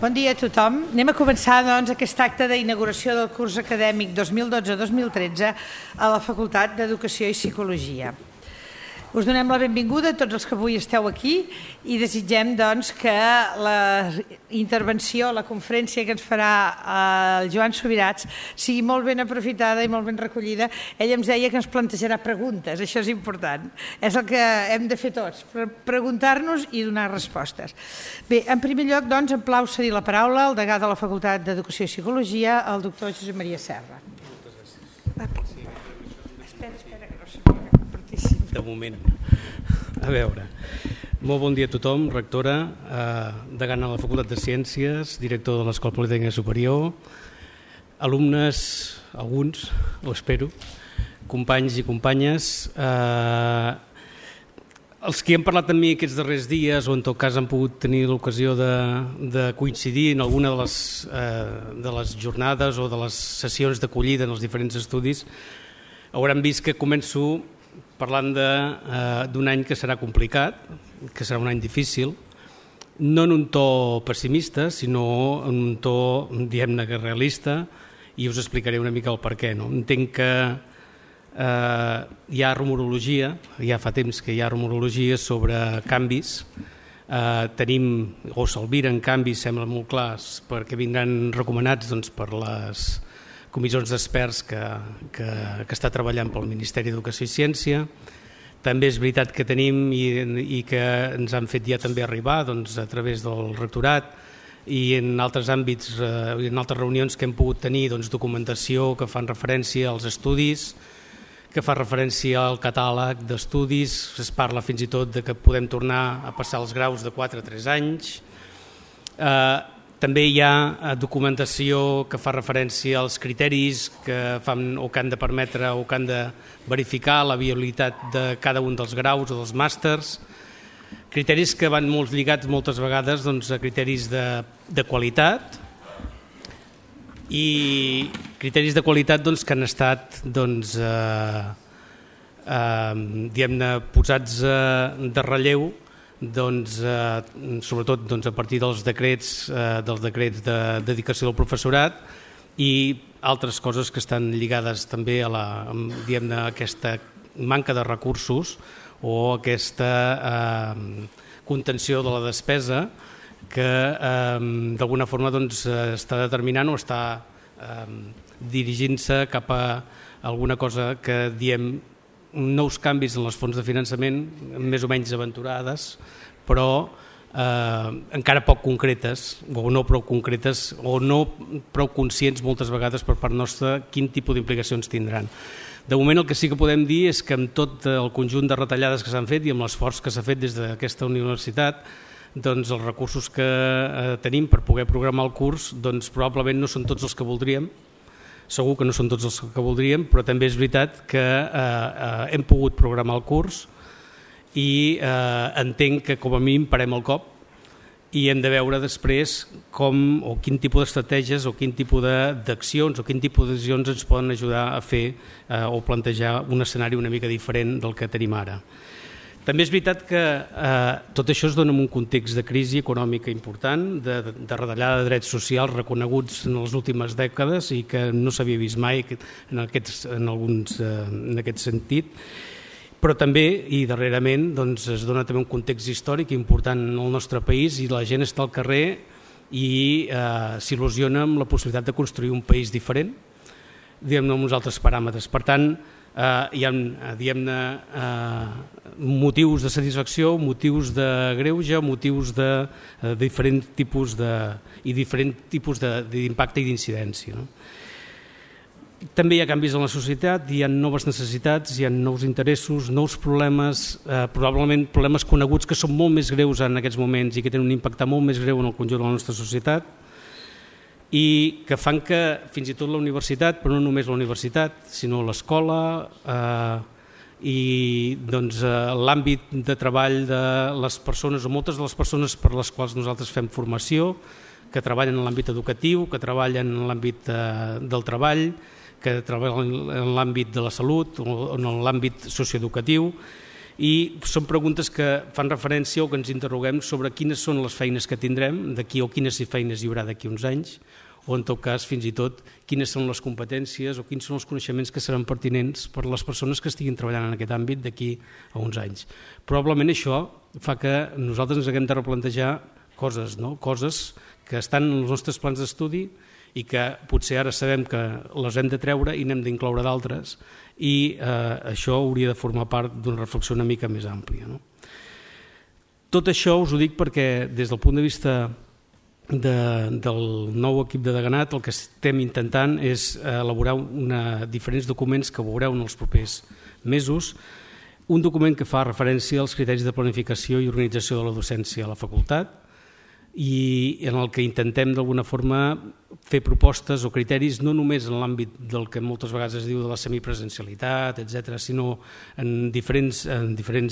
Bon dia a tothom. Anem a començar aquest acte d'inauguració del curs acadèmic 2012-2013 a la Facultat d'Educació i Psicologia. Us donem la benvinguda a tots els que avui esteu aquí i desitgem que la intervenció, la conferència que ens farà el Joan Subirats sigui molt ben aprofitada i molt ben recollida. Ell ens deia que ens plantejarà preguntes, això és important. És el que hem de fer tots, preguntar-nos i donar respostes. Bé, en primer lloc, em plau cedir la paraula al degà de la Facultat d'Educació i Psicologia, el doctor Josep Maria Serra. Espera, que no sé com participar. De moment. A veure, molt bon dia a tothom, rectora, degana de la Facultat de Ciències, director de l'Escola Politècnica Superior, alumnes, alguns, ho espero, companys i companyes, els que han parlat amb mi aquests darrers dies o en tot cas han pogut tenir l'ocasió de coincidir en alguna de les jornades o de les sessions d'acollida en els diferents estudis, hauran vist que començo parlant d'un any que serà complicat, que serà un any difícil, no en un to pessimista, sinó en un to, diguem-ne, realista, i us explicaré una mica el perquè. Entenc que hi ha rumorologia, ja fa temps que hi ha rumorologia sobre canvis, tenim, o s'albiren canvis, sembla molt clars, perquè vindran recomanats per les comissions d'experts que està treballant pel Ministeri d'Educació i Ciència. També és veritat que tenim i que ens han fet ja també arribar a través del rectorat i en altres àmbits i en altres reunions que hem pogut tenir documentació que fan referència als estudis, que fa referència al catàleg d'estudis, es parla fins i tot de que podem tornar a passar els graus de 4 a 3 anys. També hi ha documentació que fa referència als criteris que fan o que han de permetre o que han de verificar la viabilitat de cada un dels graus o dels màsters, criteris que van molt lligats moltes vegades a criteris de qualitat i criteris de qualitat que han estat diguem-ne posats de relleu sobretot a partir dels decrets de dedicació del professorat i altres coses que estan lligades també a aquesta manca de recursos o aquesta contenció de la despesa que d'alguna forma està determinant o està dirigint-se cap a alguna cosa que diem nous canvis en les fonts de finançament més o menys aventurades, però encara poc concretes o no prou concretes o no prou conscients moltes vegades per part nostra quin tipus d'implicacions tindran. De moment el que sí que podem dir és que amb tot el conjunt de retallades que s'han fet i amb l'esforç que s'ha fet des d'aquesta universitat, els recursos que tenim per poder programar el curs probablement no són tots els que voldríem. Segur que no són tots els que voldríem, però també és veritat que hem pogut programar el curs i entenc que com a mínim parem el cop i hem de veure després com o quin tipus d'estratègies o quin tipus d'accions o quin tipus de decisions ens poden ajudar a fer o plantejar un escenari una mica diferent del que tenim ara. També és veritat que tot això es dona en un context de crisi econòmica important, de retallada de drets socials reconeguts en les últimes dècades i que no s'havia vist mai en aquest sentit, però també i darrerament es dona també un context històric important en el nostre país i la gent està al carrer i s'il·lusiona amb la possibilitat de construir un país diferent, diguem-ne amb uns altres paràmetres. Per tant, hi ha motius de satisfacció, motius de greuge, motius de diferents tipus d'impacte i d'incidència. També hi ha canvis en la societat, hi ha noves necessitats, hi ha nous interessos, nous problemes, probablement problemes coneguts que són molt més greus en aquests moments i que tenen un impacte molt més greu en el conjunt de la nostra societat i que fan que fins i tot la universitat, però no només la universitat, sinó l'escola i l'àmbit de treball de les persones o moltes de les persones per les quals nosaltres fem formació, que treballen en l'àmbit educatiu, que treballen en l'àmbit del treball, que treballen en l'àmbit de la salut o en l'àmbit socioeducatiu i són preguntes que fan referència o que ens interroguem sobre quines són les feines que tindrem d'aquí o quines feines hi haurà d'aquí uns anys, o en tot cas fins i tot quines són les competències o quins són els coneixements que seran pertinents per a les persones que estiguin treballant en aquest àmbit d'aquí a uns anys. Probablement això fa que nosaltres ens haguem de replantejar coses, no? Coses que estan en els nostres plans d'estudi i que potser ara sabem que les hem de treure i n'hem d'incloure d'altres, i això hauria de formar part d'una reflexió una mica més àmplia. No? Tot això us ho dic perquè des del punt de vista del nou equip de Deganat el que estem intentant és elaborar diferents documents que veureu en els propers mesos. Un document que fa referència als criteris de planificació i organització de la docència a la facultat i en el que intentem d'alguna forma fer propostes o criteris no només en l'àmbit del que moltes vegades es diu de la semipresencialitat, etc., sinó en diferents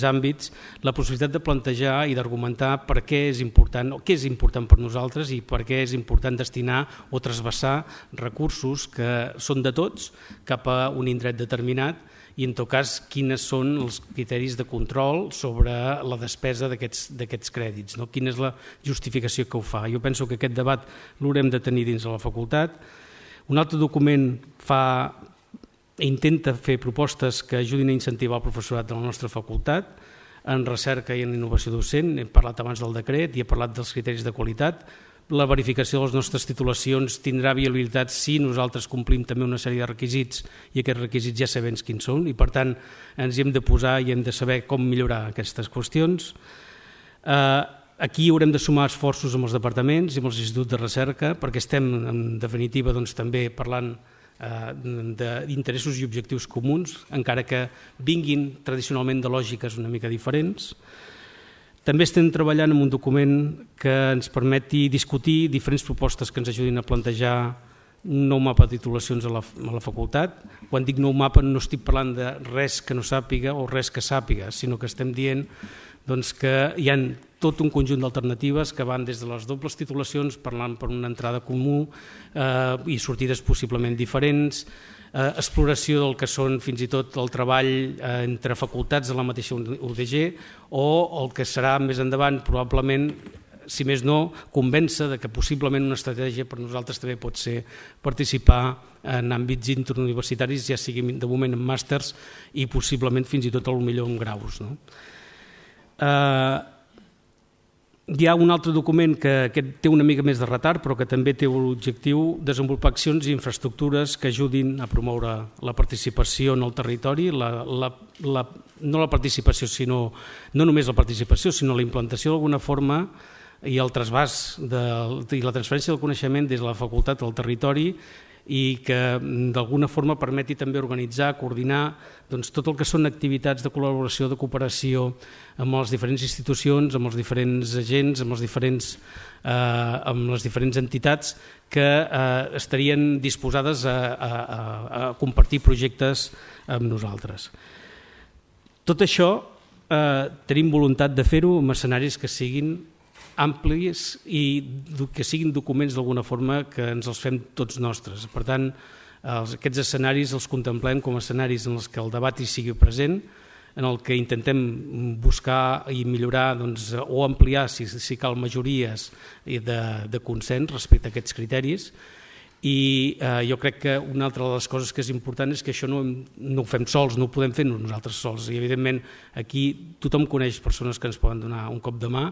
àmbits, la possibilitat de plantejar i d'argumentar per què és important o què és important per nosaltres i per què és important destinar o trasbassar recursos que són de tots cap a un indret determinat i en tot cas quines són els criteris de control sobre la despesa d'aquests crèdits, no? Quina és la justificació que ho fa. Jo penso que aquest debat l'haurem de tenir dins de la facultat. Un altre document intenta fer propostes que ajudin a incentivar el professorat de la nostra facultat en recerca i en innovació docent. Hem parlat abans del decret i he parlat dels criteris de qualitat. La verificació de les nostres titulacions tindrà viabilitat si nosaltres complim també una sèrie de requisits i aquests requisits ja sabem quins són i per tant ens hi hem de posar i hem de saber com millorar aquestes qüestions. Aquí haurem de sumar esforços amb els departaments i amb els instituts de recerca perquè estem en definitiva també parlant d'interessos i objectius comuns encara que vinguin tradicionalment de lògiques una mica diferents. També estem treballant en un document que ens permeti discutir diferents propostes que ens ajudin a plantejar un nou mapa de titulacions a la facultat. Quan dic nou mapa no estic parlant de res que no sàpiga o res que sàpiga, sinó que estem dient que hi ha tot un conjunt d'alternatives que van des de les dobles titulacions parlant per una entrada comú i sortides possiblement diferents, exploració del que són fins i tot el treball entre facultats de la mateixa UDG o el que serà més endavant probablement, si més no, convèncer que possiblement una estratègia per nosaltres també pot ser participar en àmbits interuniversitaris, ja sigui de moment en màsters i possiblement fins i tot potser en graus. No? Hi ha un altre document que té una mica més de retard però que també té l'objectiu de desenvolupar accions i infraestructures que ajudin a promoure la participació en el territori, no la participació, no només la participació, sinó la implantació d'alguna forma i el trasbàs i la transferència del coneixement des de la facultat al territori i que d'alguna forma permeti també organitzar, coordinar tot el que són activitats de col·laboració, de cooperació amb les diferents institucions, amb els diferents agents, amb les diferents entitats que estarien disposades a compartir projectes amb nosaltres. Tot això tenim voluntat de fer-ho amb escenaris que siguin amplis i que siguin documents d'alguna forma que ens els fem tots nostres. Per tant, aquests escenaris els contemplem com a escenaris en els que el debat hi sigui present, en el que intentem buscar i millorar o ampliar, si cal, majories de consens respecte a aquests criteris. I jo crec que una altra de les coses que és important és que això no ho fem sols, no ho podem fer nosaltres sols. I evidentment aquí tothom coneix persones que ens poden donar un cop de mà,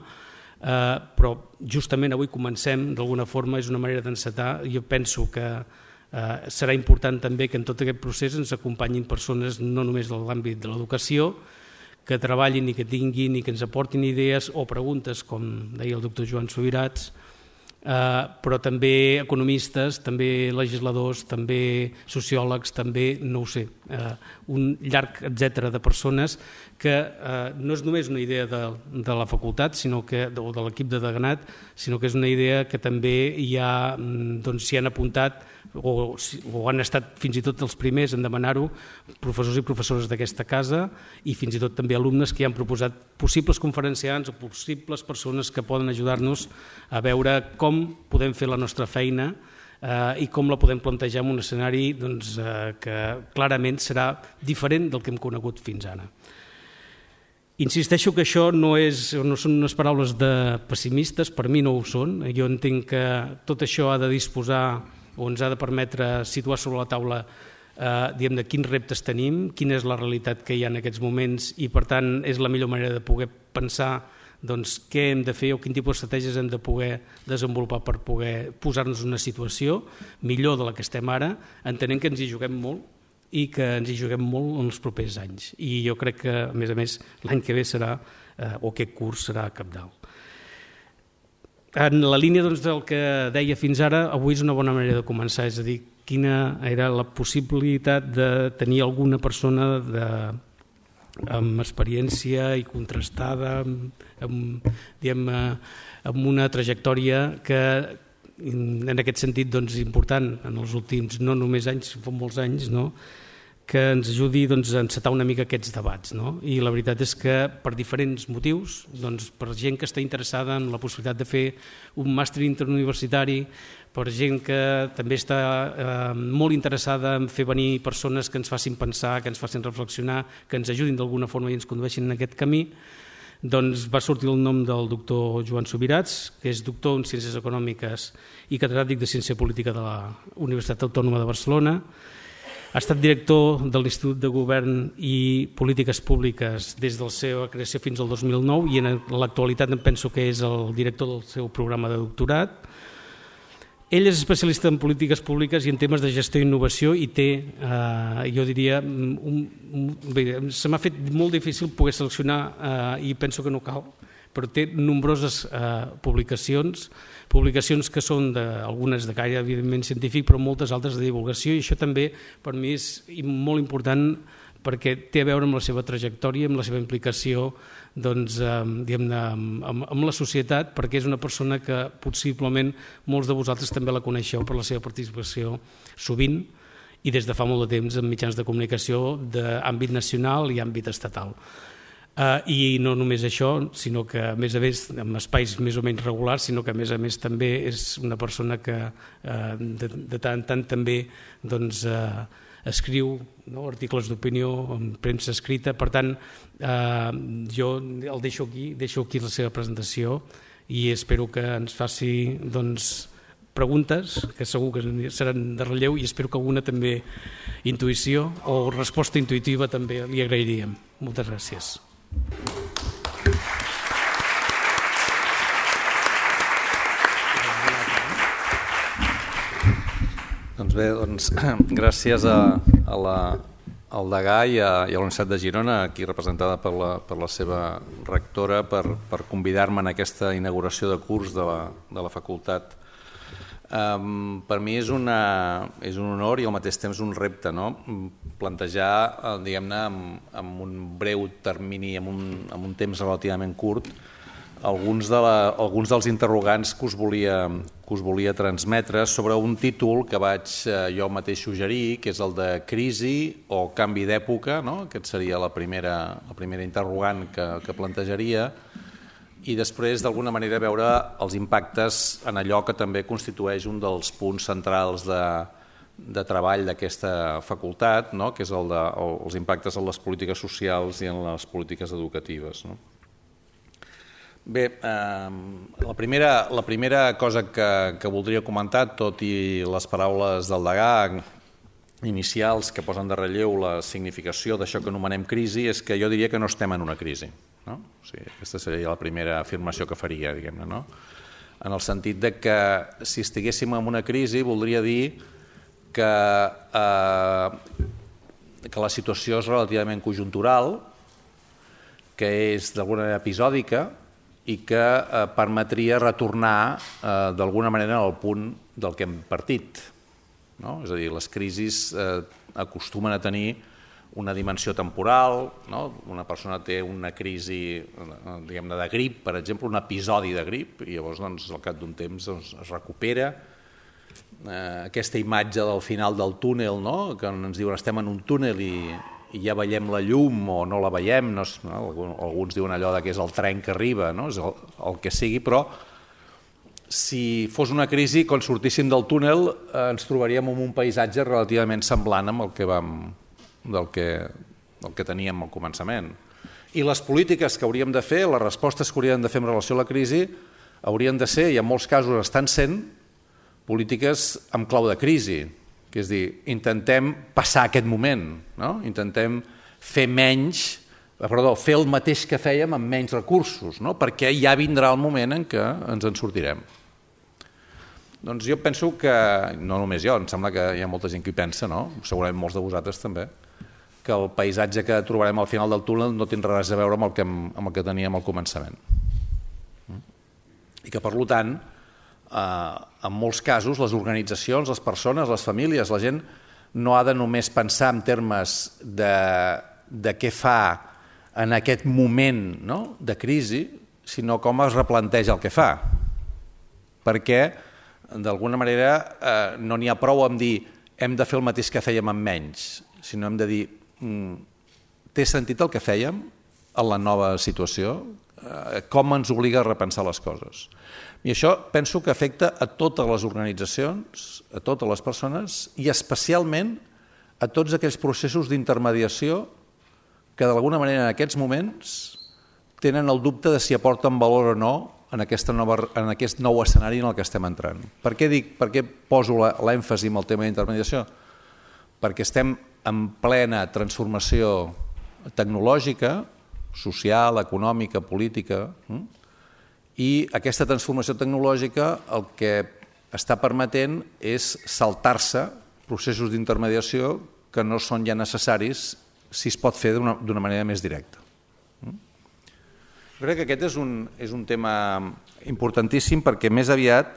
però justament avui comencem d'alguna forma, és una manera d'encetar. Jo penso que serà important també que en tot aquest procés ens acompanyin persones no només de l'àmbit de l'educació, que treballin i que tinguin i que ens aportin idees o preguntes, com deia el doctor Joan Subirats, però també economistes, també legisladors, també sociòlegs, també, no ho sé, un llarg etcètera de persones que no és només una idea de la facultat o de l'equip de Deganat, sinó que és una idea que també s'hi han apuntat o han estat fins i tot els primers en demanar-ho professors i professores d'aquesta casa i fins i tot també alumnes que ja han proposat possibles conferenciants o possibles persones que poden ajudar-nos a veure com podem fer la nostra feina i com la podem plantejar en un escenari que clarament serà diferent del que hem conegut fins ara. Insisteixo que això no són unes paraules de pessimistes, per mi no ho són. Jo entenc que tot això ha de disposar o ens ha de permetre situar sobre la taula de quins reptes tenim, quina és la realitat que hi ha en aquests moments i per tant és la millor manera de poder pensar què hem de fer o quin tipus d'estratègies hem de poder desenvolupar per poder posar-nos en una situació millor de la que estem ara, entenent que ens hi juguem molt i que ens hi juguem molt en els propers anys. I jo crec que, a més, l'any que ve serà, o aquest curs serà cabdal. En la línia del que deia fins ara, avui és una bona manera de començar, és a dir, quina era la possibilitat de tenir alguna persona amb experiència i contrastada, amb una trajectòria que en aquest sentit important en els últims, no només anys, fa molts anys, que ens ajudi a encetar una mica aquests debats. I la veritat és que per diferents motius, per gent que està interessada en la possibilitat de fer un màster interuniversitari, per gent que també està molt interessada en fer venir persones que ens facin pensar, que ens facin reflexionar, que ens ajudin d'alguna forma i ens condueixin en aquest camí, va sortir el nom del doctor Joan Subirats, que és doctor en Ciències Econòmiques i catedràtic de Ciència Política de la Universitat Autònoma de Barcelona. Ha estat director de l'Institut de Govern i Polítiques Públiques des de la seva creació fins al 2009 i en l'actualitat em penso que és el director del seu programa de doctorat. Ell és especialista en polítiques públiques i en temes de gestió i innovació i té, jo diria, se m'ha fet molt difícil poder seleccionar i penso que no cal, però té nombroses publicacions que són algunes de caire evidentment científic, però moltes altres de divulgació, i això també per mi és molt important perquè té a veure amb la seva trajectòria, amb la seva implicació amb la societat, perquè és una persona que possiblement molts de vosaltres també la coneixeu per la seva participació sovint i des de fa molt de temps en mitjans de comunicació d'àmbit nacional i àmbit estatal. I no només això, sinó que a més en espais més o menys regulars, sinó que a més també és una persona que de tant en tant també escriu articles d'opinió en premsa escrita. Per tant, jo el deixo aquí la seva presentació i espero que ens faci preguntes, que segur que seran de relleu, i espero que alguna també intuïció o resposta intuïtiva també li agrairíem. Moltes gràcies. Doncs bé, gràcies al degà i a la Universitat de Girona, aquí representada per la seva rectora, per convidar-me en aquesta inauguració de curs de la facultat. Per mi és un honor i al mateix temps un repte, plantejar, diguem-ne, amb un breu termini, amb un temps relativament curt, alguns dels interrogants que us volia transmetre sobre un títol que vaig jo mateix suggerir, que és el de crisi o canvi d'època, aquest seria la primera interrogant que plantejaria, i després d'alguna manera veure els impactes en allò que també constitueix un dels punts centrals de treball d'aquesta facultat, que és els impactes en les polítiques socials i en les polítiques educatives. Bé, la primera cosa que voldria comentar, tot i les paraules del degà inicials que posen de relleu la significació d'això que anomenem crisi, és que jo diria que no estem en una crisi. O sigui, aquesta seria la primera afirmació que faria, diguem-ne, en el sentit de que si estiguéssim en una crisi voldria dir que la situació és relativament conjuntural, que és d'alguna manera episòdica i que permetria retornar d'alguna manera al punt del que hem partit. És a dir, les crisis acostumen a tenir una dimensió temporal, una persona té una crisi de grip, per exemple, un episodi de grip, i llavors al cap d'un temps es recupera. Aquesta imatge del final del túnel, que ens diuen estem en un túnel i ja veiem la llum o no la veiem, alguns diuen allò que és el tren que arriba, és el que sigui, però si fos una crisi, quan sortíssim del túnel ens trobaríem en un paisatge relativament semblant amb el que teníem al començament. I les polítiques que hauríem de fer, les respostes que hauríem de fer en relació a la crisi, haurien de ser, i en molts casos estan sent, polítiques amb clau de crisi, que és dir, intentem passar aquest moment, no? Intentem fer fer el mateix que fèiem amb menys recursos, no? Perquè ja vindrà el moment en què ens en sortirem. Doncs jo penso que, no només jo, em sembla que hi ha molta gent que hi pensa, no? Segurament molts de vosaltres també, que el paisatge que trobarem al final del túnel no tindrà res a veure amb el que teníem al començament. I que, per tant, en molts casos, les organitzacions, les persones, les famílies, la gent no ha de només pensar en termes de què fa en aquest moment, no?, de crisi, sinó com es replanteja el que fa. Perquè, d'alguna manera, no n'hi ha prou amb dir hem de fer el mateix que fèiem amb menys, sinó hem de dir té sentit el que fèiem en la nova situació? Com ens obliga a repensar les coses? I això penso que afecta a totes les organitzacions, a totes les persones i especialment a tots aquells processos d'intermediació que d'alguna manera en aquests moments tenen el dubte de si aporten valor o no en aquest nou escenari en el que estem entrant. Per què poso l'èmfasi en el tema d'intermediació? Perquè estem en plena transformació tecnològica, social, econòmica, política, i aquesta transformació tecnològica el que està permetent és saltar-se processos d'intermediació que no són ja necessaris si es pot fer d'una manera més directa. Jo crec que aquest és un tema importantíssim perquè més aviat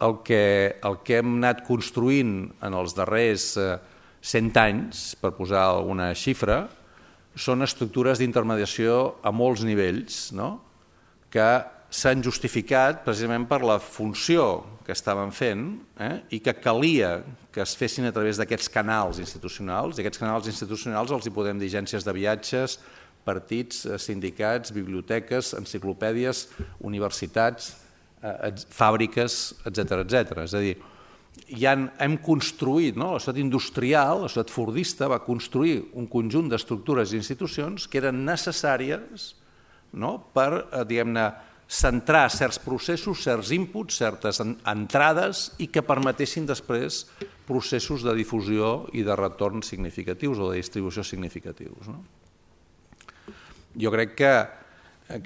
el que hem anat construint en els darrers 100 anys, per posar alguna xifra, són estructures d'intermediació a molts nivells, no?, que s'han justificat precisament per la funció que estaven fent i que calia que es fessin a través d'aquests canals institucionals, i aquests canals institucionals els hi podem dir agències de viatges, partits, sindicats, biblioteques, enciclopèdies, universitats, fàbriques, etc. És a dir, hem construït, la societat industrial, la societat fordista va construir un conjunt d'estructures i institucions que eren necessàries per, diguem-ne, centrar certs processos, certs inputs, certes entrades i que permetessin després processos de difusió i de retorn significatius o de distribució significatius. Jo crec que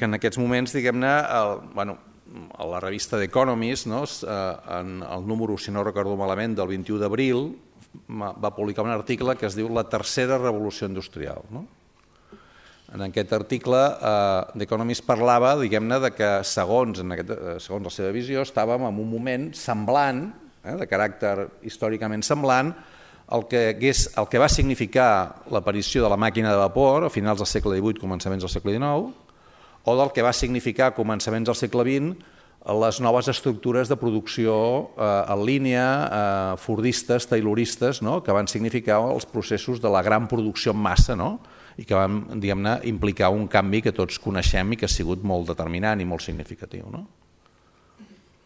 en aquests moments, diguem-ne, a la revista The Economist, en el número, si no recordo malament, del 21 d'abril, va publicar un article que es diu La tercera revolució industrial. En aquest article, The Economist parlava, diguem-ne, que segons la seva visió, estàvem en un moment semblant, de caràcter històricament semblant, el que va significar l'aparició de la màquina de vapor a finals del segle XVIII, començaments del segle XIX, o del que va significar a començaments del segle XX les noves estructures de producció en línia, fordistes, tayloristes, que van significar els processos de la gran producció en massa, i que van, diguem-ne, implicar un canvi que tots coneixem i que ha sigut molt determinant i molt significatiu.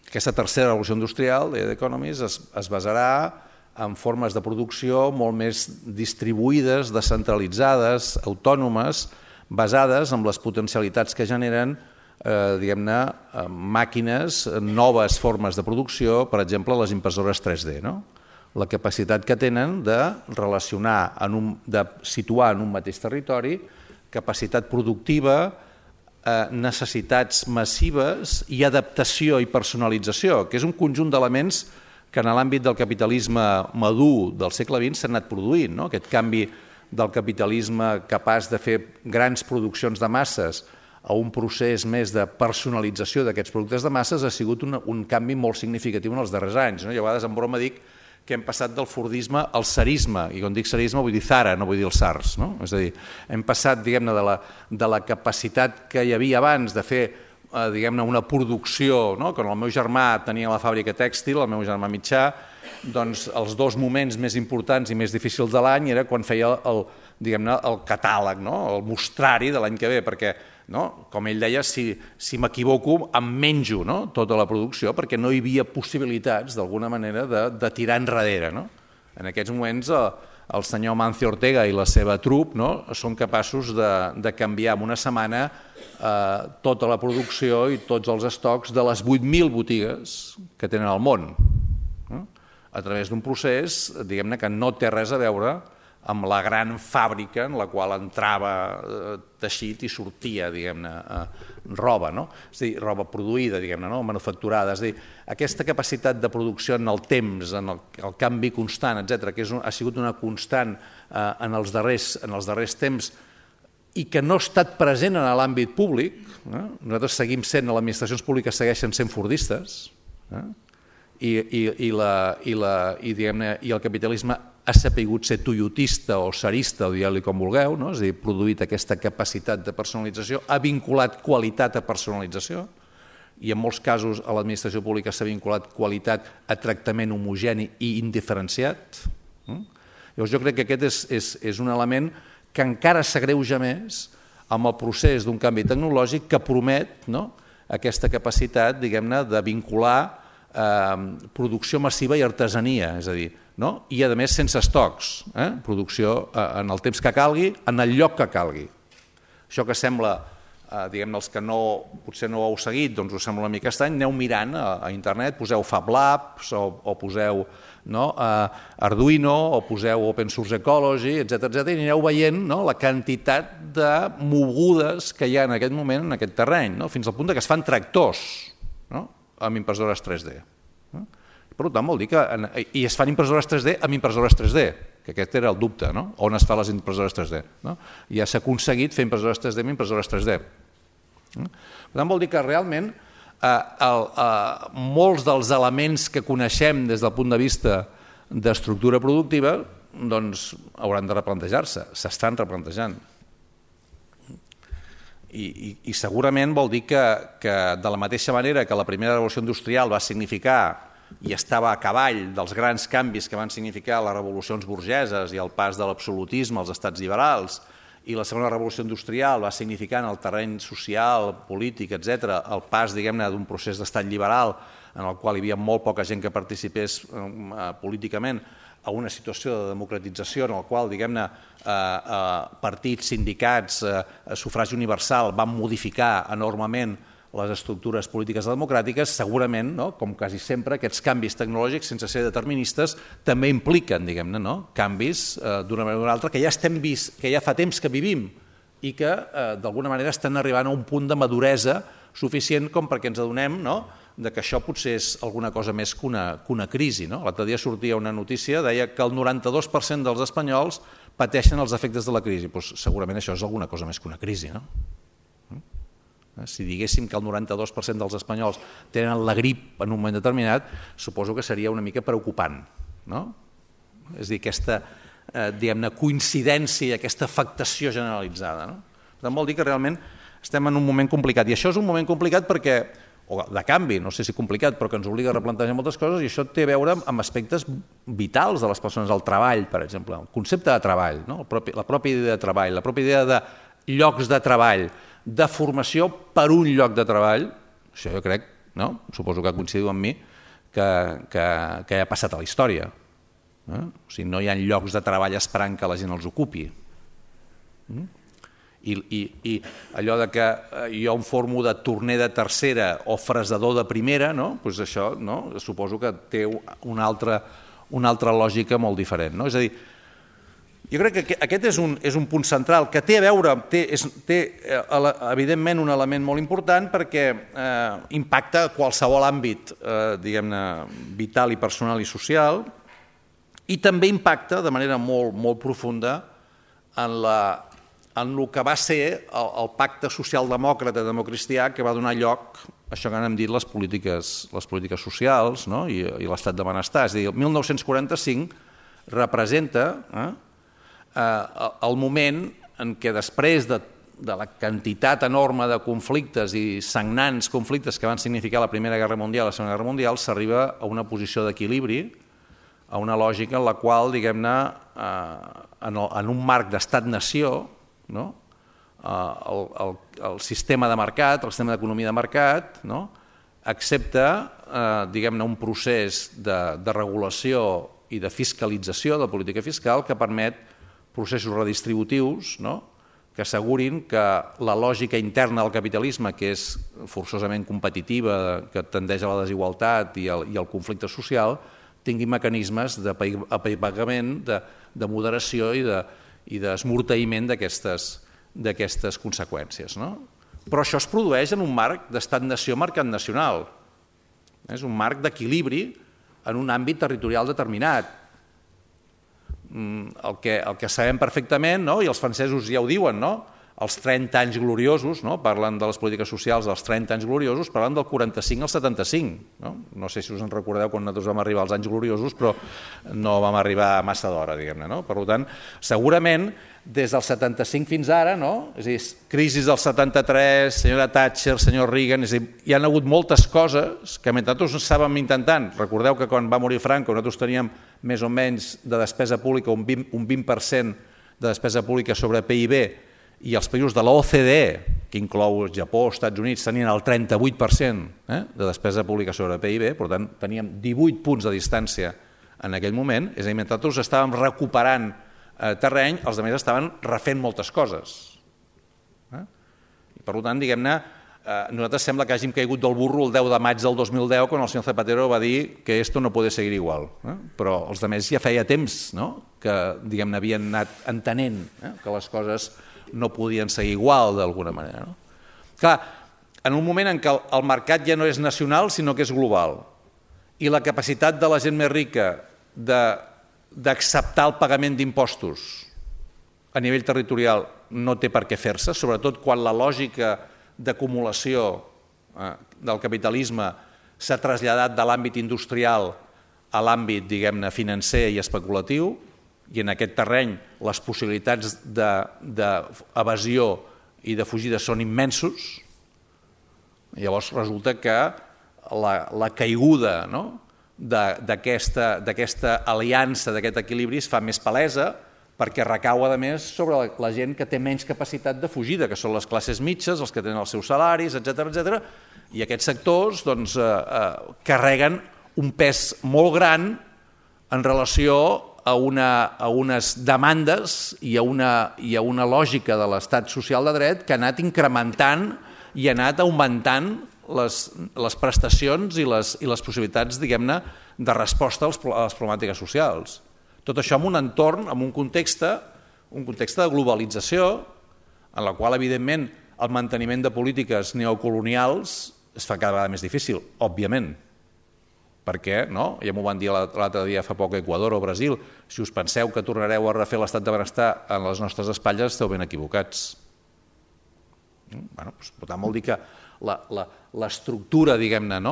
Aquesta tercera revolució industrial de The Economist es basarà en formes de producció molt més distribuïdes, descentralitzades, autònomes, basades en les potencialitats que generen, diguem-ne, màquines, noves formes de producció, per exemple, les impressores 3D, la capacitat que tenen de relacionar, de situar en un mateix territori capacitat productiva, necessitats massives i adaptació i personalització, que és un conjunt d'elements que en l'àmbit del capitalisme madur del segle XX s'ha anat produint. Aquest canvi del capitalisme capaç de fer grans produccions de masses a un procés més de personalització d'aquests productes de masses ha sigut un canvi molt significatiu en els darrers anys. Jo a vegades en broma dic que hem passat del fordisme al tsarisme, i quan dic tsarisme vull dir Zara, no vull dir els tsars. És a dir, hem passat, diguem-ne, de la capacitat que hi havia abans de fer, diguem-ne, una producció, quan el meu germà tenia la fàbrica tèxtil, el meu germà mitjà, doncs els dos moments més importants i més difícils de l'any era quan feia el catàleg, el mostrari de l'any que ve, perquè, com ell deia, si m'equivoco em menjo tota la producció, perquè no hi havia possibilitats, d'alguna manera, de tirar enrere. En aquests moments el senyor Mancio Ortega i la seva trup són capaços de canviar en una setmana tota la producció i tots els estocs de les 8.000 botigues que tenen al món, a través d'un procés, diguem-ne, que no té res a veure amb la gran fàbrica en la qual entrava teixit i sortia, diguem-ne, roba, és a dir, roba produïda, diguem-ne, manufacturada. És a dir, aquesta capacitat de producció en el temps, en el canvi constant, etc., que ha sigut una constant en els darrers temps i que no ha estat present en l'àmbit públic. Nosaltres seguim sent, les administracions públiques segueixen sent fordistes, i el capitalisme ha sapigut ser toyotista o sarista, o digueu-li com vulgueu, és a dir, produït aquesta capacitat de personalització, ha vinculat qualitat a personalització, i en molts casos a l'administració pública s'ha vinculat qualitat a tractament homogeni i indiferenciat. Llavors jo crec que aquest és un element que encara s'agreuja més amb el procés d'un canvi tecnològic que promet aquesta capacitat, diguem-ne, de vincular producció massiva i artesania, és a dir, i a més sense estocs, producció en el temps que calgui, en el lloc que calgui. Això que sembla, diguem-ne, els que potser no ho heu seguit, doncs us sembla una mica estrany, aneu mirant a internet, poseu Fab Labs o poseu Arduino o poseu Open Source Ecology, etc., i aneu veient la quantitat de mogudes que hi ha en aquest moment en aquest terreny, fins al punt que es fan tractors amb impressores 3D. Per tant, vol dir que... I es fan impressores 3D amb impressores 3D, que aquest era el dubte, on es fan les impressores 3D. Ja s'ha aconseguit fer impressores 3D amb impressores 3D. Per tant, vol dir que realment molts dels elements que coneixem des del punt de vista d'estructura productiva hauran de replantejar-se, s'estan replantejant. I segurament vol dir que de la mateixa manera que la primera revolució industrial va significar i estava a cavall dels grans canvis que van significar les revolucions burgeses i el pas de l'absolutisme als estats liberals, i la segona revolució industrial va significar en el terreny social, polític, etc., el pas, diguem-ne, d'un procés d'estat liberal en el qual hi havia molt poca gent que participés políticament, a una situació de democratització en la qual, diguem-ne, partits, sindicats, sufragi universal van modificar enormement les estructures polítiques democràtiques, segurament, com quasi sempre, aquests canvis tecnològics, sense ser deterministes, també impliquen, diguem-ne, canvis d'una manera o d'una altra que ja estem vist, que ja fa temps que vivim i que d'alguna manera estan arribant a un punt de maduresa suficient com perquè ens adonem que això potser és alguna cosa més que una crisi. L'altre dia sortia una notícia, deia que el 92% dels espanyols pateixen els efectes de la crisi. Segurament això és alguna cosa més que una crisi, Si diguéssim que el 92% dels espanyols tenen la grip en un moment determinat, suposo que seria una mica preocupant. És a dir, aquesta coincidència, aquesta afectació generalitzada. Per tant, vol dir que realment estem en un moment complicat. I això és un moment complicat perquè, o de canvi, no sé si complicat, però que ens obliga a replantejar moltes coses, i això té a veure amb aspectes vitals de les persones, el treball, per exemple, el concepte de treball, la pròpia idea de treball, la pròpia idea de llocs de treball, de formació per un lloc de treball. Això jo crec, suposo que coincidiu amb mi, que ha passat a la història. O sigui, no hi ha llocs de treball esperant que la gent els ocupi. I allò que jo em formo de torner de tercera o fresador de primera, doncs això suposo que té una altra lògica molt diferent. És a dir, jo crec que aquest és un punt central que té a veure, té evidentment un element molt important perquè impacta qualsevol àmbit, diguem-ne, vital i personal i social, i també impacta de manera molt profunda en el que va ser el pacte socialdemòcrata democristià que va donar lloc a això que n'hem dit les polítiques socials i l'estat de benestar. És a dir, el 1945 representa el moment en què després de la quantitat enorme de conflictes i sagnants conflictes que van significar la Primera Guerra Mundial i la Segona Guerra Mundial s'arriba a una posició d'equilibri, a una lògica en la qual, diguem-ne, en un marc d'estat-nació, el sistema de mercat, el sistema d'economia de mercat, accepta, diguem-ne, un procés de regulació i de fiscalització de la política fiscal que permet processos redistributius, que assegurin que la lògica interna del capitalisme, que és forçosament competitiva, que tendeix a la desigualtat i al conflicte social, tingui mecanismes d'apagament, de moderació i d'esmorteïment d'aquestes conseqüències. Però això es produeix en un marc d'estat-nació mercat nacional. És un marc d'equilibri en un àmbit territorial determinat. El que sabem perfectament, i els francesos ja ho diuen, els 30 anys gloriosos, parlen de les polítiques socials dels 30 anys gloriosos, parlen del 45 al 75. No sé si us en recordeu quan nosaltres vam arribar als anys gloriosos, però no vam arribar massa d'hora, diguem-ne. Per tant, segurament, des del 75 fins ara, és a dir, crisi del 73, senyora Thatcher, senyor Reagan, és a dir, hi ha hagut moltes coses que mentre nosaltres estàvem intentant, recordeu que quan va morir Franco nosaltres teníem més o menys de despesa pública, un 20% de despesa pública sobre PIB, i els països de l'OCDE, que inclou Japó, Estats Units, tenien el 38% de despesa pública sobre PIB, per tant teníem 18 punts de distància en aquell moment, és a dir, mentre tots estàvem recuperant terreny, els altres estaven refent moltes coses. I per tant, diguem-ne, nosaltres sembla que hàgim caigut del burro el 10 de maig del 2010 quan el senyor Zapatero va dir que esto no puede seguir igual. Però els altres ja feia temps que diguem-ne havien anat entenent que les coses no podien seguir igual d'alguna manera. Clar, en un moment en què el mercat ja no és nacional sinó que és global i la capacitat de la gent més rica d'acceptar el pagament d'impostos a nivell territorial no té per què fer-se, sobretot quan la lògica d'acumulació del capitalisme s'ha traslladat de l'àmbit industrial a l'àmbit, diguem-ne, financer i especulatiu, i en aquest terreny les possibilitats d'evasió i de fugida són immensos. Llavors resulta que la caiguda d'aquesta aliança, d'aquest equilibri es fa més palesa perquè recau a més sobre la gent que té menys capacitat de fugida, que són les classes mitges, els que tenen els seus salaris, etc. I aquests sectors carreguen un pes molt gran en relació a unes demandes i a una lògica de l'estat social de dret que ha anat incrementant i ha anat augmentant les prestacions i les possibilitats, diguem-ne, de resposta a les problemàtiques socials. Tot això en un entorn, en un context de globalització, en la qual, evidentment, el manteniment de polítiques neocolonials es fa cada vegada més difícil, òbviament. Perquè, ja m'ho van dir l'altre dia fa poc a Equador o Brasil, si us penseu que tornareu a refer l'estat de benestar en les nostres espatlles, esteu ben equivocats. Per tant, vol dir que l'estructura, diguem-ne,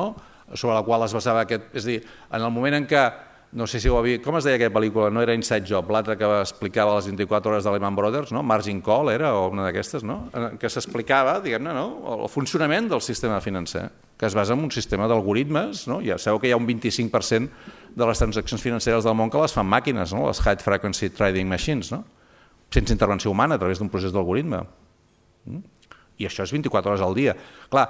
sobre la qual es basava aquest... És a dir, en el moment en què, no sé si ho havia... Com es deia aquella pel·lícula? No era Inside Job, l'altra que explicava les 24 hores de Lehman Brothers, Margin Call era, o una d'aquestes, que s'explicava, diguem-ne, el funcionament del sistema financer, que es basa en un sistema d'algoritmes, ja sabeu que hi ha un 25% de les transaccions financeres del món que les fan màquines, les High Frequency Trading Machines, sense intervenció humana, a través d'un procés d'algoritme. I això és 24 hores al dia. Clar,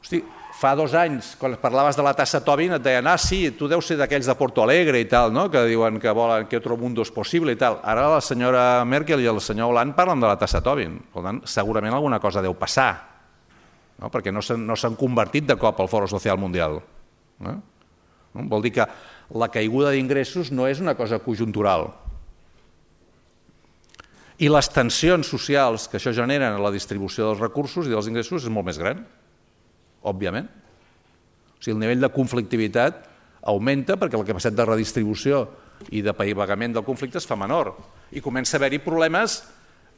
hosti, fa 2 anys, quan parlaves de la tassa Tobin, et deien, sí, tu deus ser d'aquells de Porto Alegre i tal, que diuen que volen que otro mundo és possible i tal. Ara la senyora Merkel i el senyor Hollande parlen de la tassa Tobin. Per tant, segurament alguna cosa deu passar, perquè no s'han convertit de cop al Foro Social Mundial. Vol dir que la caiguda d'ingressos no és una cosa conjuntural. I les tensions socials que això genera en la distribució dels recursos i dels ingressos és molt més gran, òbviament. O sigui, el nivell de conflictivitat augmenta perquè la capacitat de redistribució i de pagament del conflicte es fa menor. I comença a haver-hi problemes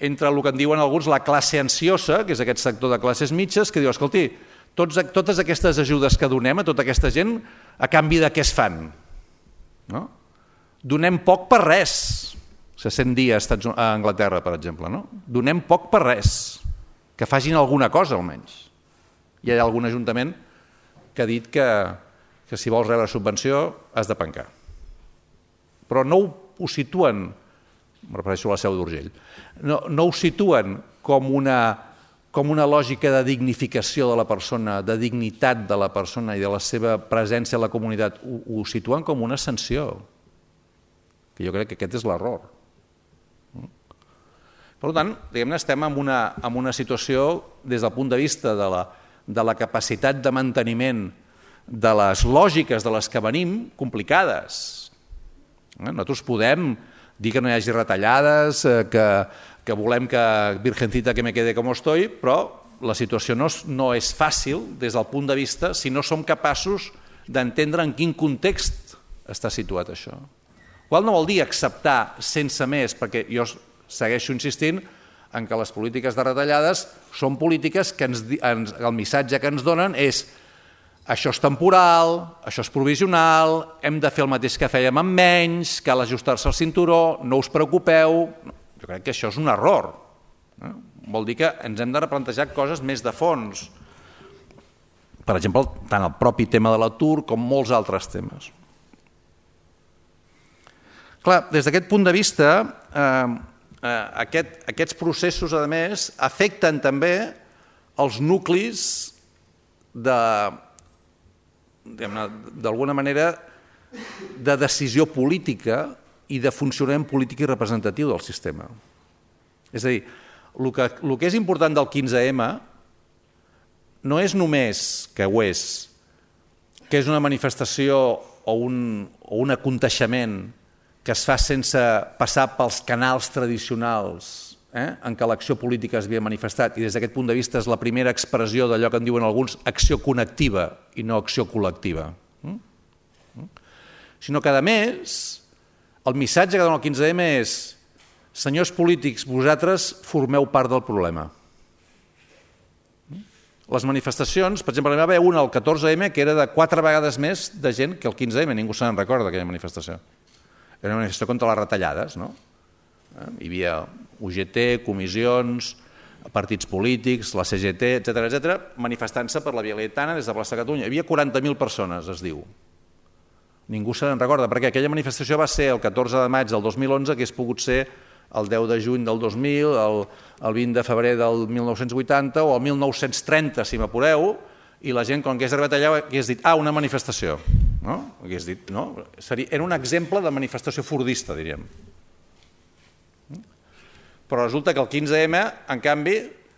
entre el que en diuen alguns la classe ansiosa, que és aquest sector de classes mitges, que diu, escolti, totes aquestes ajudes que donem a tota aquesta gent, a canvi de què es fan? Donem poc per res. Se sent dir a Anglaterra, per exemple. Donem poc per res. Que facin alguna cosa, almenys. Hi ha algun ajuntament que ha dit que si vols rebre subvenció has de pencar. Però no ho situen, em refereixo a la Seu d'Urgell, no ho situen com una lògica de dignificació de la persona, de dignitat de la persona i de la seva presència a la comunitat. Ho situen com una sanció. que jo crec que aquest és l'error. Per tant, diguem-ne, estem en una situació, des del punt de vista de la capacitat de manteniment de les lògiques de les que venim, complicades. Nosaltres podem dir que no hi hagi retallades, que volem que Virgencita que me quede com estoy, però la situació no és fàcil des del punt de vista si no som capaços d'entendre en quin context està situat això. Qual no vol dir acceptar sense més, perquè jo segueixo insistint en que les polítiques de retallades són polítiques que el missatge que ens donen és això és temporal, això és provisional, hem de fer el mateix que fèiem amb menys, cal ajustar-se al cinturó, no us preocupeu. Jo crec que això és un error. Vol dir que ens hem de replantejar coses més de fons. Per exemple, tant el propi tema de l'atur com molts altres temes. Clar, des d'aquest punt de vista, aquests processos, a més, afecten també els nuclis d'alguna manera de decisió política i de funcionament polític i representatiu del sistema. És a dir, el que és important del 15M no és només, que ho és, que és una manifestació o un aconteixement que es fa sense passar pels canals tradicionals en què l'acció política es havia manifestat, i des d'aquest punt de vista és la primera expressió d'allò que en diuen alguns acció connectiva i no acció col·lectiva. Sinó que, a més, el missatge que dona el 15M és: senyors polítics, vosaltres formeu part del problema. Les manifestacions, per exemple, n'hi va haver una al 14M que era de 4 vegades més de gent que el 15M, ningú se'n recorda d'aquella manifestació. Era una manifestació contra les retallades, no? Hi havia UGT, comissions, partits polítics, la CGT, etc., manifestant-se per la Via Laietana des de plaça Catalunya. Hi havia 40.000 persones, es diu. Ningú se'n recorda, perquè aquella manifestació va ser el 14 de maig del 2011, que hagués pogut ser el 10 de juny del 2000, el 20 de febrer del 1980 o el 1930, si m'apureu, i la gent, quan hagués arribat allà, hagués dit, una manifestació. Hagués dit, no? Era un exemple de manifestació fordista, diríem. Però resulta que el 15M, en canvi,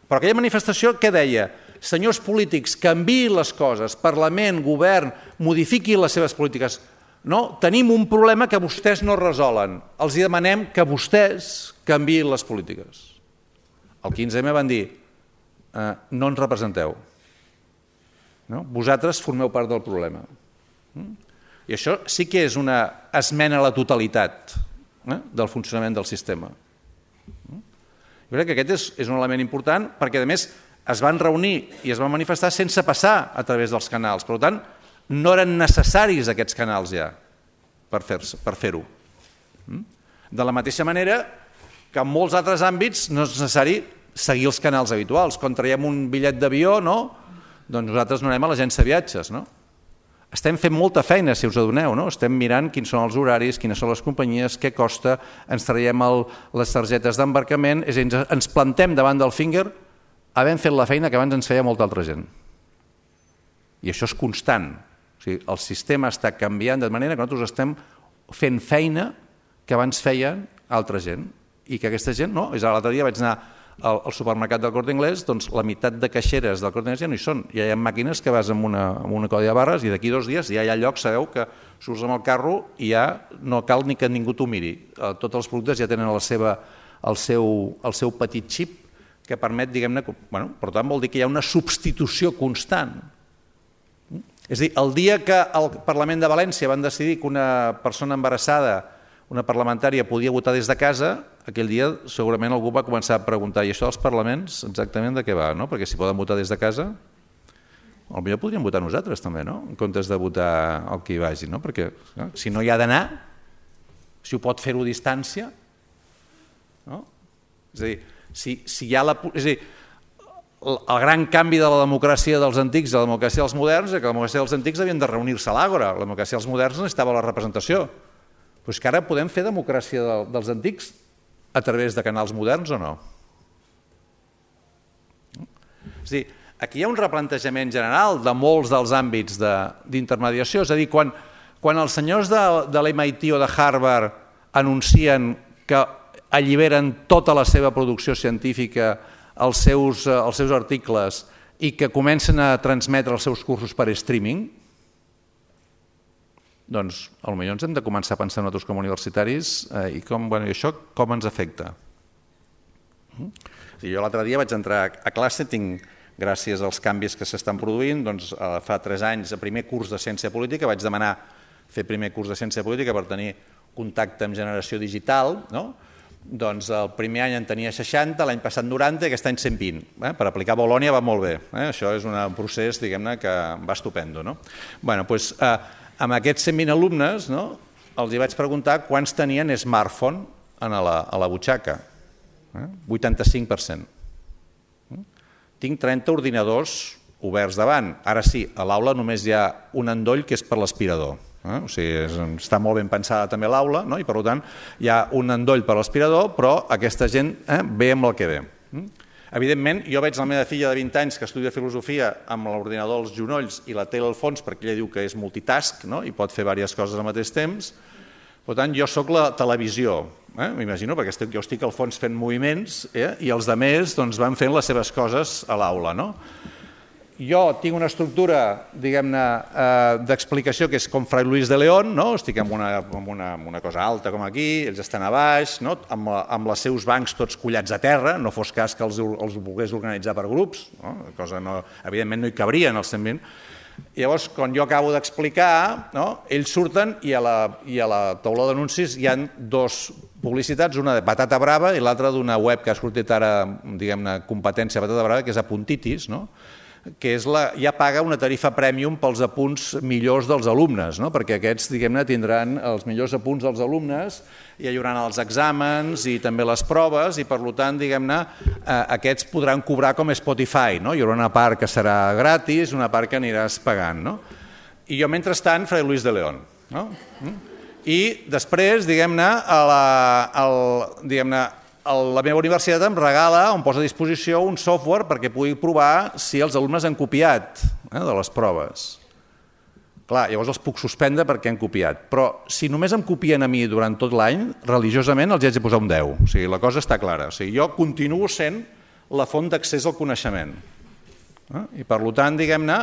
però aquella manifestació què deia? Senyors polítics, canviïn les coses, Parlament, govern, modifiquin les seves polítiques. No, tenim un problema que vostès no resolen. Els demanem que vostès canviïn les polítiques. El 15M van dir, no ens representeu. Vosaltres formeu part del problema. I això sí que és una esmena a la totalitat del funcionament del sistema. Jo crec que aquest és un element important perquè, a més, es van reunir i es van manifestar sense passar a través dels canals. Per tant, no eren necessaris aquests canals ja per fer-ho. De la mateixa manera que en molts altres àmbits no és necessari seguir els canals habituals. Quan traiem un bitllet d'avió, doncs nosaltres no anem a l'agència de viatges. Estem fent molta feina, si us adoneu. Estem mirant quins són els horaris, quines són les companyies, què costa, ens traiem les targetes d'embarcament, és a dir, ens plantem davant del Finger havent fet la feina que abans ens feia molta altra gent. I això és constant. O sigui, el sistema està canviant de manera que nosaltres estem fent feina que abans feien altra gent i que aquesta gent, l'altre dia vaig anar al supermercat del Corte Inglés, doncs la meitat de caixeres del Corte Inglés ja no hi són. Ja hi ha màquines que vas amb una codi de barres i d'aquí 2 dies ja hi ha llocs, sabeu, que surts amb el carro i ja no cal ni que ningú t'ho miri. Tots els productes ja tenen el seu petit xip que permet, diguem-ne, per tant vol dir que hi ha una substitució constant. És a dir, el dia que al Parlament de València van decidir que una persona embarassada, una parlamentària, podia votar des de casa, aquell dia segurament algú va començar a preguntar, i això dels parlaments exactament de què va? Perquè si poden votar des de casa, potser podríem votar nosaltres també, en comptes de votar el que hi vagi, perquè si no hi ha d'anar, si ho pot fer-ho a distància, és a dir, si hi ha el gran canvi de la democràcia dels antics a la democràcia dels moderns és que la democràcia dels antics havien de reunir-se a l'àgora, la democràcia dels moderns necessitava la representació. Però és que ara podem fer democràcia dels antics a través de canals moderns o no? És a dir, aquí hi ha un replantejament general de molts dels àmbits d'intermediació, és a dir, quan els senyors de l'MIT o de Harvard anuncien que alliberen tota la seva producció científica, els seus articles, i que comencen a transmetre els seus cursos per streaming, doncs potser ens hem de començar a pensar nosaltres com a universitaris i això com ens afecta. Jo l'altre dia vaig entrar a classe, gràcies als canvis que s'estan produint, fa 3 anys, a primer curs de Ciència Política, vaig demanar fer primer curs de Ciència Política per tenir contacte amb generació digital, doncs el primer any en tenia 60, l'any passat 90 i aquest any 120. Per aplicar a Bolònia va molt bé. Això és un procés, diguem-ne, que va estupendo. Amb aquests 120 alumnes els hi vaig preguntar quants tenien smartphone a la butxaca. 85%. Tinc 30 ordinadors oberts davant. Ara sí, a l'aula només hi ha un endoll que és per l'aspirador. O sigui, està molt ben pensada també l'aula i per tant hi ha un endoll per l'aspirador, però aquesta gent ve amb el que ve. Evidentment, jo veig la meva filla de 20 anys que estudia filosofia amb l'ordinador als genolls i la tele al fons perquè ella diu que és multitask i pot fer diverses coses al mateix temps. Per tant, jo sóc la televisió, m'imagino, perquè jo estic al fons fent moviments i els altres van fent les seves coses a l'aula. Jo tinc una estructura, diguem-ne, d'explicació que és com Fray Luis de León, estic en una cosa alta com aquí, ells estan a baix, amb els seus bancs tots collats a terra, no fos cas que els volgués organitzar per grups, evidentment no hi cabrien els 120. Llavors, quan jo acabo d'explicar, ells surten i a la taula d'anuncis hi ha 2 publicitats, una de Patata Brava i l'altra d'una web que ha sortit ara, diguem-ne, competència Patata Brava, que és Apuntitis, que ja paga una tarifa prèmium pels apunts millors dels alumnes, perquè aquests, diguem-ne, tindran els millors apunts dels alumnes, i hi haurà els exàmens i també les proves, i per tant, diguem-ne, aquests podran cobrar com Spotify, hi haurà una part que serà gratis, una part que aniràs pagant. I jo, mentrestant, Fray Luis de León. I després, diguem-ne, la meva universitat em regala, em posa a disposició un software perquè pugui provar si els alumnes han copiat de les proves. Clar, llavors els puc suspendre perquè han copiat, però si només em copien a mi durant tot l'any, religiosament els haig de posar un 10. O sigui, la cosa està clara. O sigui, jo continuo sent la font d'accés al coneixement. I per tant, diguem-ne,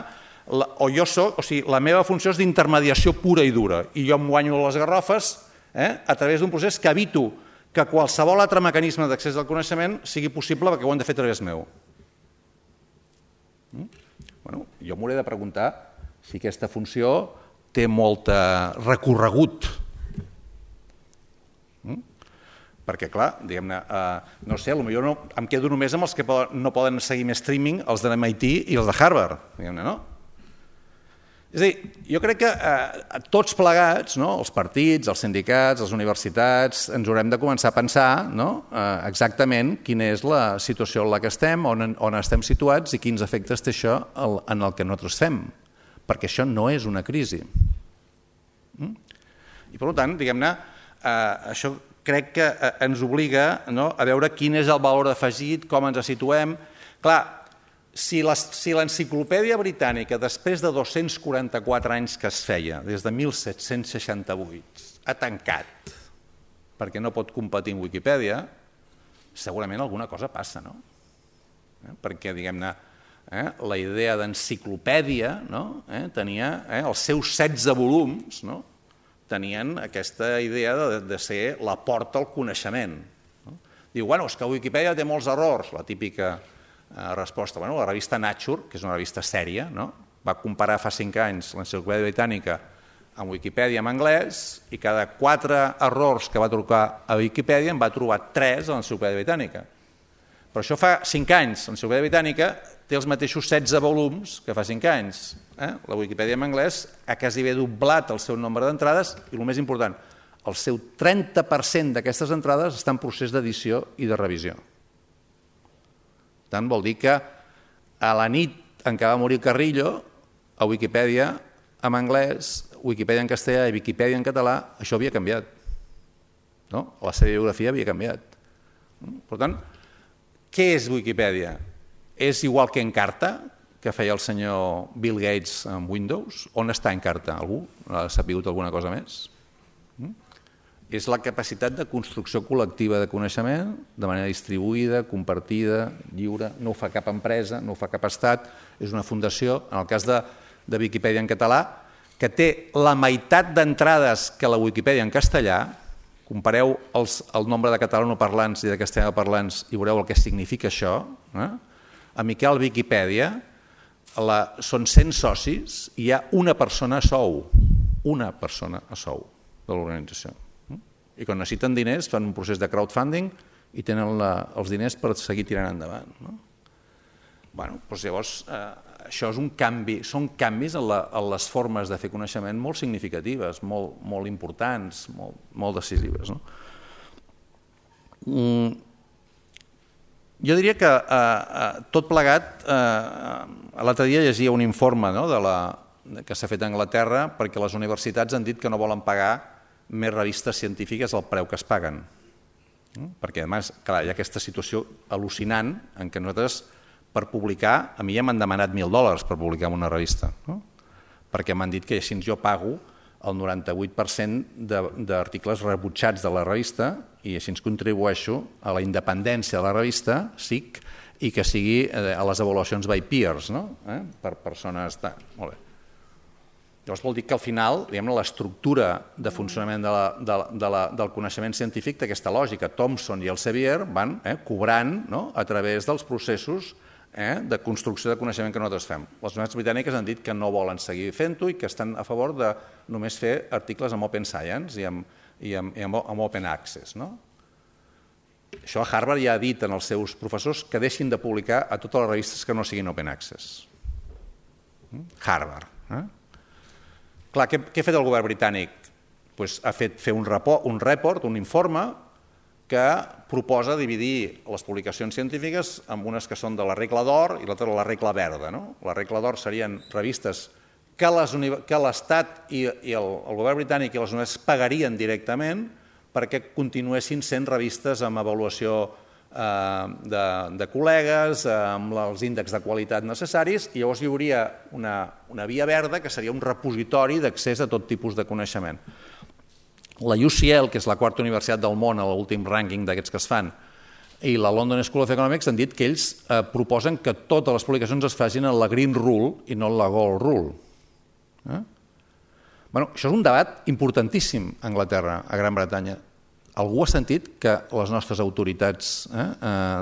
la meva funció és d'intermediació pura i dura, i jo em guanyo les garrofes a través d'un procés que evito que qualsevol altre mecanisme d'accés al coneixement sigui possible perquè ho han de fer a través meu. Jo m'hauré de preguntar si aquesta funció té molt recorregut. Perquè, clar, diguem-ne, no sé, potser em quedo només amb els que no poden seguir més streaming, els de MIT i els de Harvard, diguem-ne, no? És a dir, jo crec que tots plegats, els partits, els sindicats, les universitats, ens haurem de començar a pensar exactament quina és la situació en la que estem, on estem situats i quins efectes té això en el que nosaltres fem, perquè això no és una crisi. I per tant, diguem-ne, això crec que ens obliga a veure quin és el valor afegit, com ens situem. Clar, si l'enciclopèdia britànica, després de 244 anys que es feia, des de 1768, ha tancat perquè no pot competir amb Wikipedia, segurament alguna cosa passa, no? Perquè, diguem-ne, la idea d'enciclopèdia tenia els seus 16 volums, tenien aquesta idea de ser la porta al coneixement. Diu, bueno, és que Wikipedia té molts errors, la típica resposta. La revista Nature, que és una revista sèria, va comparar fa 5 anys l'enciclopèdia britànica amb Wikipedia en anglès i cada 4 errors que va trobar a Wikipedia en va trobar 3 a l'enciclopèdia britànica. Però això fa 5 anys. L'enciclopèdia britànica té els mateixos 16 volums que fa 5 anys. La Wikipedia en anglès ha quasi bé doblat el seu nombre d'entrades i, el més important, el seu 30% d'aquestes entrades està en procés d'edició i de revisió. Per tant, vol dir que a la nit en què va morir Carrillo, a Wikipedia en anglès, Wikipedia en castellà i Wikipedia en català, això havia canviat. La seva biografia havia canviat. Per tant, què és Wikipedia? És igual que Encarta, que feia el senyor Bill Gates amb Windows? On està Encarta? Algú ha sabut alguna cosa més? és la capacitat de construcció col·lectiva de coneixement de manera distribuïda, compartida, lliure. No ho fa cap empresa, no ho fa cap estat, és una fundació, en el cas de Viquipèdia en català, que té la meitat d'entrades que la Wikipedia en castellà. Compareu el nombre de catalanoparlants i de castellanoparlants i veureu el que significa això. A Miquel Viquipèdia són 100 socis i hi ha una persona a sou de l'organització. I quan necessiten diners fan un procés de crowdfunding i tenen els diners per seguir tirant endavant. Llavors, això és un canvi, són canvis en les formes de fer coneixement molt significatives, molt importants, molt decisives. Jo diria que tot plegat, l'altre dia llegia un informe que s'ha fet a Anglaterra perquè les universitats han dit que no volen pagar més revistes científiques al preu que es paguen. Perquè, a més, clar, hi ha aquesta situació al·lucinant en què nosaltres, per publicar, a mi ja m'han demanat $1.000 per publicar en una revista, perquè m'han dit que així jo pago el 98% d'articles rebutjats de la revista i així contribueixo a la independència de la revista, SIC, i que sigui a les avaluacions by peers, per persones... Molt bé. Llavors vol dir que al final l'estructura de funcionament del coneixement científic té aquesta lògica. Thomson i Elsevier van cobrant a través dels processos de construcció de coneixement que nosaltres fem. Les universitats britàniques han dit que no volen seguir fent-ho i que estan a favor de només fer articles amb Open Science i amb Open Access. Això a Harvard ja ha dit als seus professors que deixin de publicar a totes les revistes que no siguin Open Access. Harvard. Clar, què ha fet el govern britànic? Ha fet fer un report, un informe, que proposa dividir les publicacions científiques en unes que són de la regla d'or i l'altra de la regla verda. La regla d'or serien revistes que l'Estat i el govern britànic i les universitats pagarien directament perquè continuessin sent revistes amb avaluació de col·legues, amb els índexs de qualitat necessaris, i llavors hi hauria una via verda que seria un repositori d'accés a tot tipus de coneixement. La UCL, que és la quarta universitat del món a l'últim rànquing d'aquests que es fan, i la London School of Economics han dit que ells proposen que totes les publicacions es facin en la Green Rule i no en la Gold Rule. Això és un debat importantíssim a Anglaterra, a Gran Bretanya. Algú ha sentit que les nostres autoritats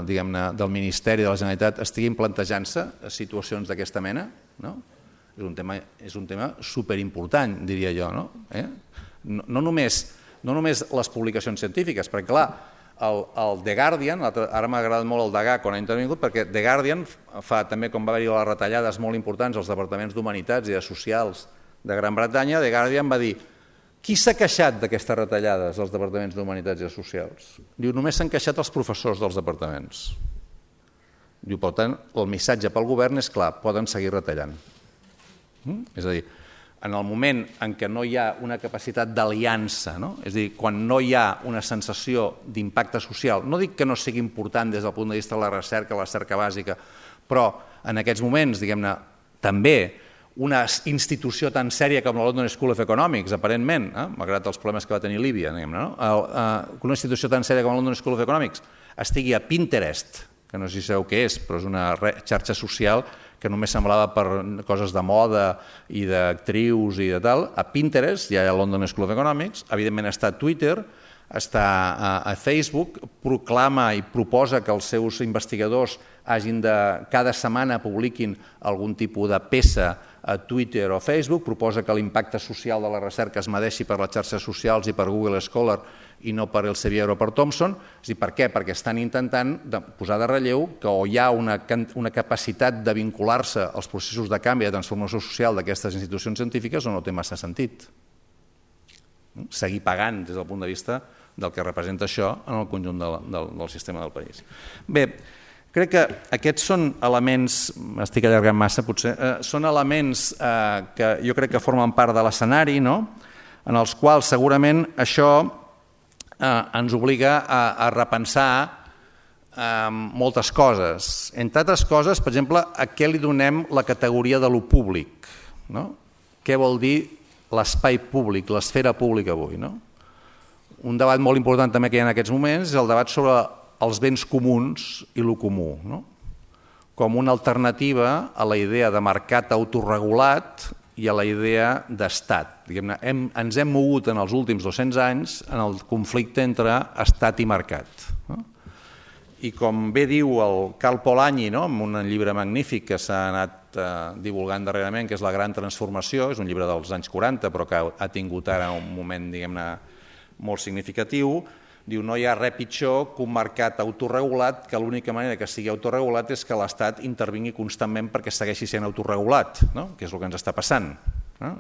del Ministeri de la Generalitat estiguin plantejant-se situacions d'aquesta mena? És un tema superimportant, diria jo. No només les publicacions científiques, perquè clar, el The Guardian, ara m'ha agradat molt el Degà quan ha intervingut, perquè The Guardian fa també, com va haver-hi les retallades molt importants als departaments d'Humanitats i de Socials de Gran Bretanya, The Guardian va dir: qui s'ha queixat d'aquestes retallades als departaments d'Humanitats i Socials? Diu, només s'han queixat els professors dels departaments. Diu, per tant, el missatge pel govern és clar, poden seguir retallant. És a dir, en el moment en què no hi ha una capacitat d'aliança, és a dir, quan no hi ha una sensació d'impacte social, no dic que no sigui important des del punt de vista de la recerca bàsica, però en aquests moments, diguem-ne, també una institució tan sèria com la London School of Economics, aparentment, malgrat els problemes que va tenir Líbia, una institució tan sèria com la London School of Economics estigui a Pinterest, que no sé si sabeu què és, però és una xarxa social que només semblava per coses de moda i d'actrius i de tal. A Pinterest hi ha la London School of Economics, evidentment està a Twitter, està a Facebook, proclama i proposa que els seus investigadors cada setmana publiquin algun tipus de peça a Twitter o Facebook, proposa que l'impacte social de la recerca es medeixi per les xarxes socials i per Google Scholar i no per Elsevier o per Thomson. Per què? Perquè estan intentant posar de relleu que o hi ha una capacitat de vincular-se als processos de canvi i de transformació social d'aquestes institucions científiques o no té massa sentit. Seguir pagant des del punt de vista del que representa això en el conjunt del sistema del país. Bé, crec que aquests són elements, m'estic allargant massa potser, són elements que jo crec que formen part de l'escenari, en els quals segurament això ens obliga a repensar moltes coses. Entre altres coses, per exemple, a què li donem la categoria de lo públic? Què vol dir l'espai públic, l'esfera pública avui? un debat molt important també que hi ha en aquests moments és el debat sobre els béns comuns i el comú, com una alternativa a la idea de mercat autorregulat i a la idea d'estat. Ens hem mogut en els últims 200 anys en el conflicte entre estat i mercat. I com bé diu el Karl Polanyi, en un llibre magnífic que s'ha anat divulgant darrerament, que és La gran transformació, és un llibre dels anys 40, però que ha tingut ara un moment, diguem-ne, molt significatiu, diu no hi ha res pitjor que un mercat autorregulat, que l'única manera que sigui autorregulat és que l'Estat intervingui constantment perquè segueixi sent autorregulat, que és el que ens està passant.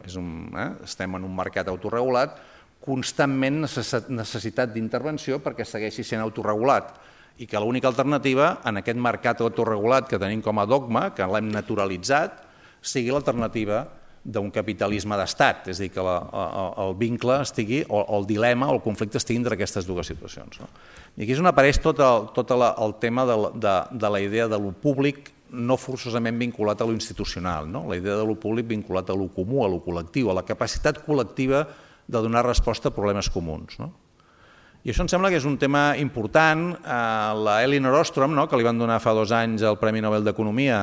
Estem en un mercat autorregulat, constantment necessitat d'intervenció perquè segueixi sent autorregulat, i que l'única alternativa en aquest mercat autorregulat que tenim com a dogma, que l'hem naturalitzat, sigui l'alternativa d'un capitalisme d'estat, és a dir, que el vincle estigui, o el dilema o el conflicte estigui entre aquestes dues situacions. I aquí és on apareix tot el tema de la idea de lo públic no forçosament vinculat a lo institucional, la idea de lo públic vinculat a lo comú, a lo col·lectiu, a la capacitat col·lectiva de donar resposta a problemes comuns. I això em sembla que és un tema important. La Elinor Ostrom, que li van donar fa 2 anys el Premi Nobel d'Economia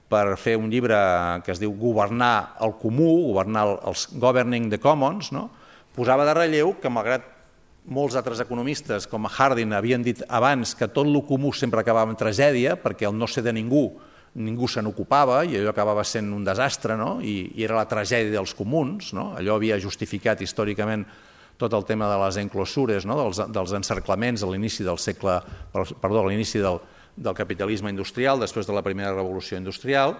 per fer un llibre que es diu Governar el comú, governar els Governing the Commons, posava de relleu que, malgrat molts altres economistes, com Harding, havien dit abans que tot el comú sempre acabava en tragèdia, perquè el no ser de ningú se n'ocupava i allò acabava sent un desastre, i era la tragèdia dels comuns, allò havia justificat històricament tot el tema de les enclosures, dels encerclaments a l'inici del segle, perdó, a l'inici del capitalisme industrial, després de la primera revolució industrial.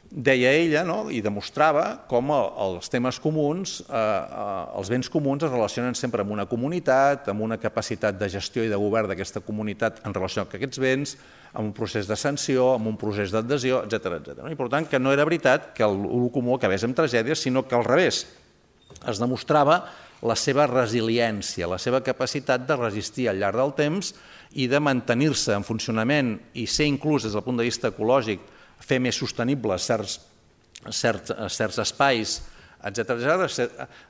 Deia ella, i demostrava com els temes comuns, els béns comuns es relacionen sempre amb una comunitat, amb una capacitat de gestió i de govern d'aquesta comunitat en relació amb aquests béns, amb un procés d'ascensió, amb un procés d'adhesió, etc. I per tant, que no era veritat que el comú acabés amb tragèdies, sinó que al revés, es demostrava la seva resiliència, la seva capacitat de resistir al llarg del temps i de mantenir-se en funcionament i ser inclús des del punt de vista ecològic, fer més sostenibles certs espais, etc.,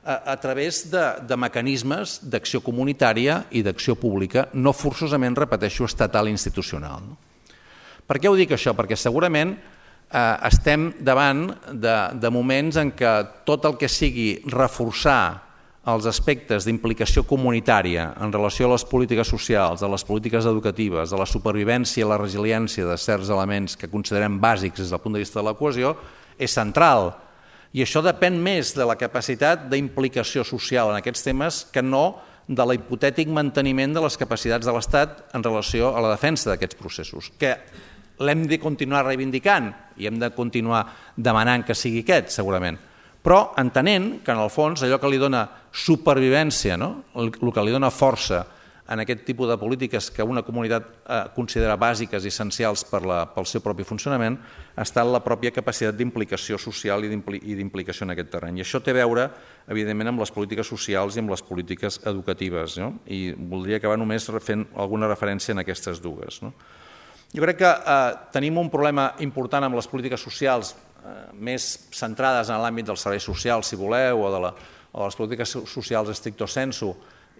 a través de mecanismes d'acció comunitària i d'acció pública, no forçosament, repeteixo, estatal i institucional. Per què ho dic això? Perquè segurament estem davant de moments en què tot el que sigui reforçar els aspectes d'implicació comunitària en relació a les polítiques socials, a les polítiques educatives, a la supervivència i la resiliència de certs elements que considerem bàsics des del punt de vista de la cohesió, és central. I això depèn més de la capacitat d'implicació social en aquests temes que no de l'hipotètic manteniment de les capacitats de l'Estat en relació a la defensa d'aquests processos, que l'hem de continuar reivindicant i hem de continuar demanant que sigui aquest, segurament. Però entenent que, en el fons, allò que li dona supervivència, el que li dona força en aquest tipus de polítiques que una comunitat considera bàsiques i essencials pel seu propi funcionament, està en la pròpia capacitat d'implicació social i d'implicació en aquest terreny. I això té a veure, evidentment, amb les polítiques socials i amb les polítiques educatives. I voldria acabar només fent alguna referència en aquestes dues. Jo crec que tenim un problema important amb les polítiques socials més centrades en l'àmbit dels serveis socials, si voleu, o de les polítiques socials stricto sensu,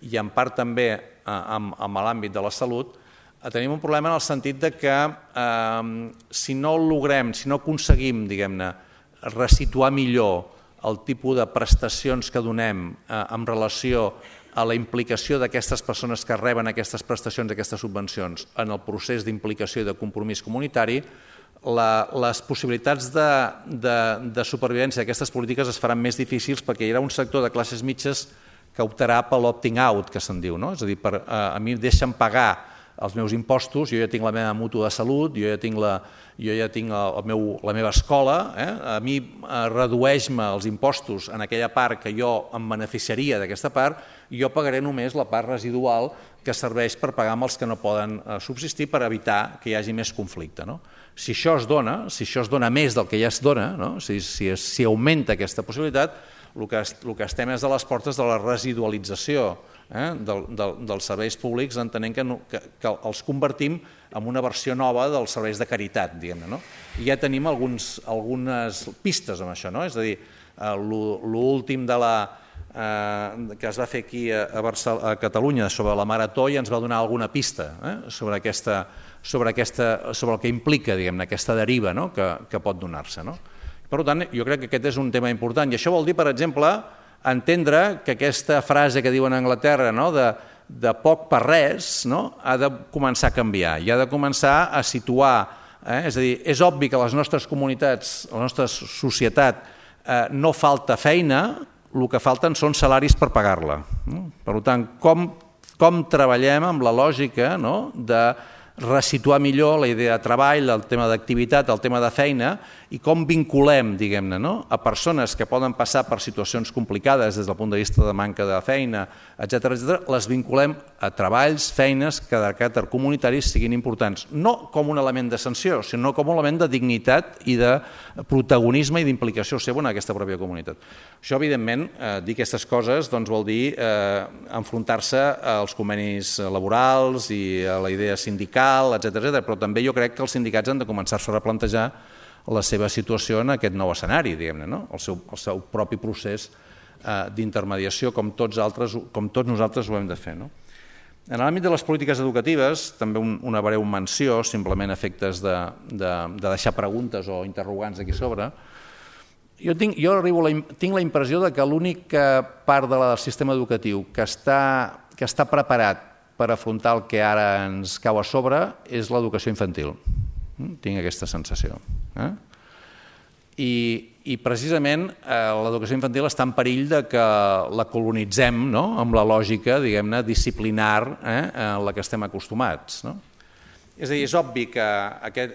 i en part també amb l'àmbit de la salut, tenim un problema en el sentit que si no logrem, si no aconseguim, diguem-ne, resituar millor el tipus de prestacions que donem en relació a la implicació d'aquestes persones que reben aquestes prestacions, aquestes subvencions, en el procés d'implicació i de compromís comunitari, les possibilitats de supervivència d'aquestes polítiques es faran més difícils perquè hi haurà un sector de classes mitges que optarà per l'opting out, que se'n diu. És a dir, a mi deixen pagar els meus impostos, jo ja tinc la meva mútua de salut, jo ja tinc la meva escola, a mi redueix-me els impostos en aquella part que jo em beneficiaria d'aquesta part, i jo pagaré només la part residual que serveix per pagar amb els que no poden subsistir per evitar que hi hagi més conflicte. Si això es dona més del que ja es dona, si augmenta aquesta possibilitat, el que estem és a les portes de la residualització dels serveis públics, entenent que els convertim en una versió nova dels serveis de caritat, diguem-ne. I ja tenim algunes pistes amb això, és a dir, l'últim de que es va fer aquí a Catalunya sobre la Marató i ens va donar alguna pista sobre el que implica aquesta deriva que pot donar-se. Per tant, jo crec que aquest és un tema important i això vol dir, per exemple, entendre que aquesta frase que diuen a Anglaterra de poc per res ha de començar a canviar i ha de començar a situar. És a dir, és obvi que a les nostres comunitats, a la nostra societat, no falta feina, el que falten són salaris per pagar-la. Per tant, com treballem amb la lògica de resituar millor la idea de treball, el tema d'activitat, el tema de feina i com vinculem, diguem-ne, a persones que poden passar per situacions complicades des del punt de vista de manca de feina, etc., les vinculem a treballs, feines que de caràcter comunitari siguin importants, no com un element de sanció, sinó com un element de dignitat i de protagonisme i d'implicació seva en aquesta pròpia comunitat. Això, evidentment, dir aquestes coses vol dir enfrontar-se als convenis laborals i a la idea sindical, etc., però també jo crec que els sindicats han de començar-se a replantejar la seva situació en aquest nou escenari, diguem-ne, el seu propi procés d'intermediació, com tots nosaltres ho hem de fer. En l'àmbit de les polítiques educatives, també una breu menció, simplement a efectes de deixar preguntes o interrogants aquí sobre. Jo tinc la impressió que l'única part del sistema educatiu que està preparat per afrontar el que ara ens cau a sobre és l'educació infantil. Tinc aquesta sensació. I precisament l'educació infantil està en perill que la colonitzem amb la lògica, diguem-ne, disciplinar en la que estem acostumats. És a dir, és obvi que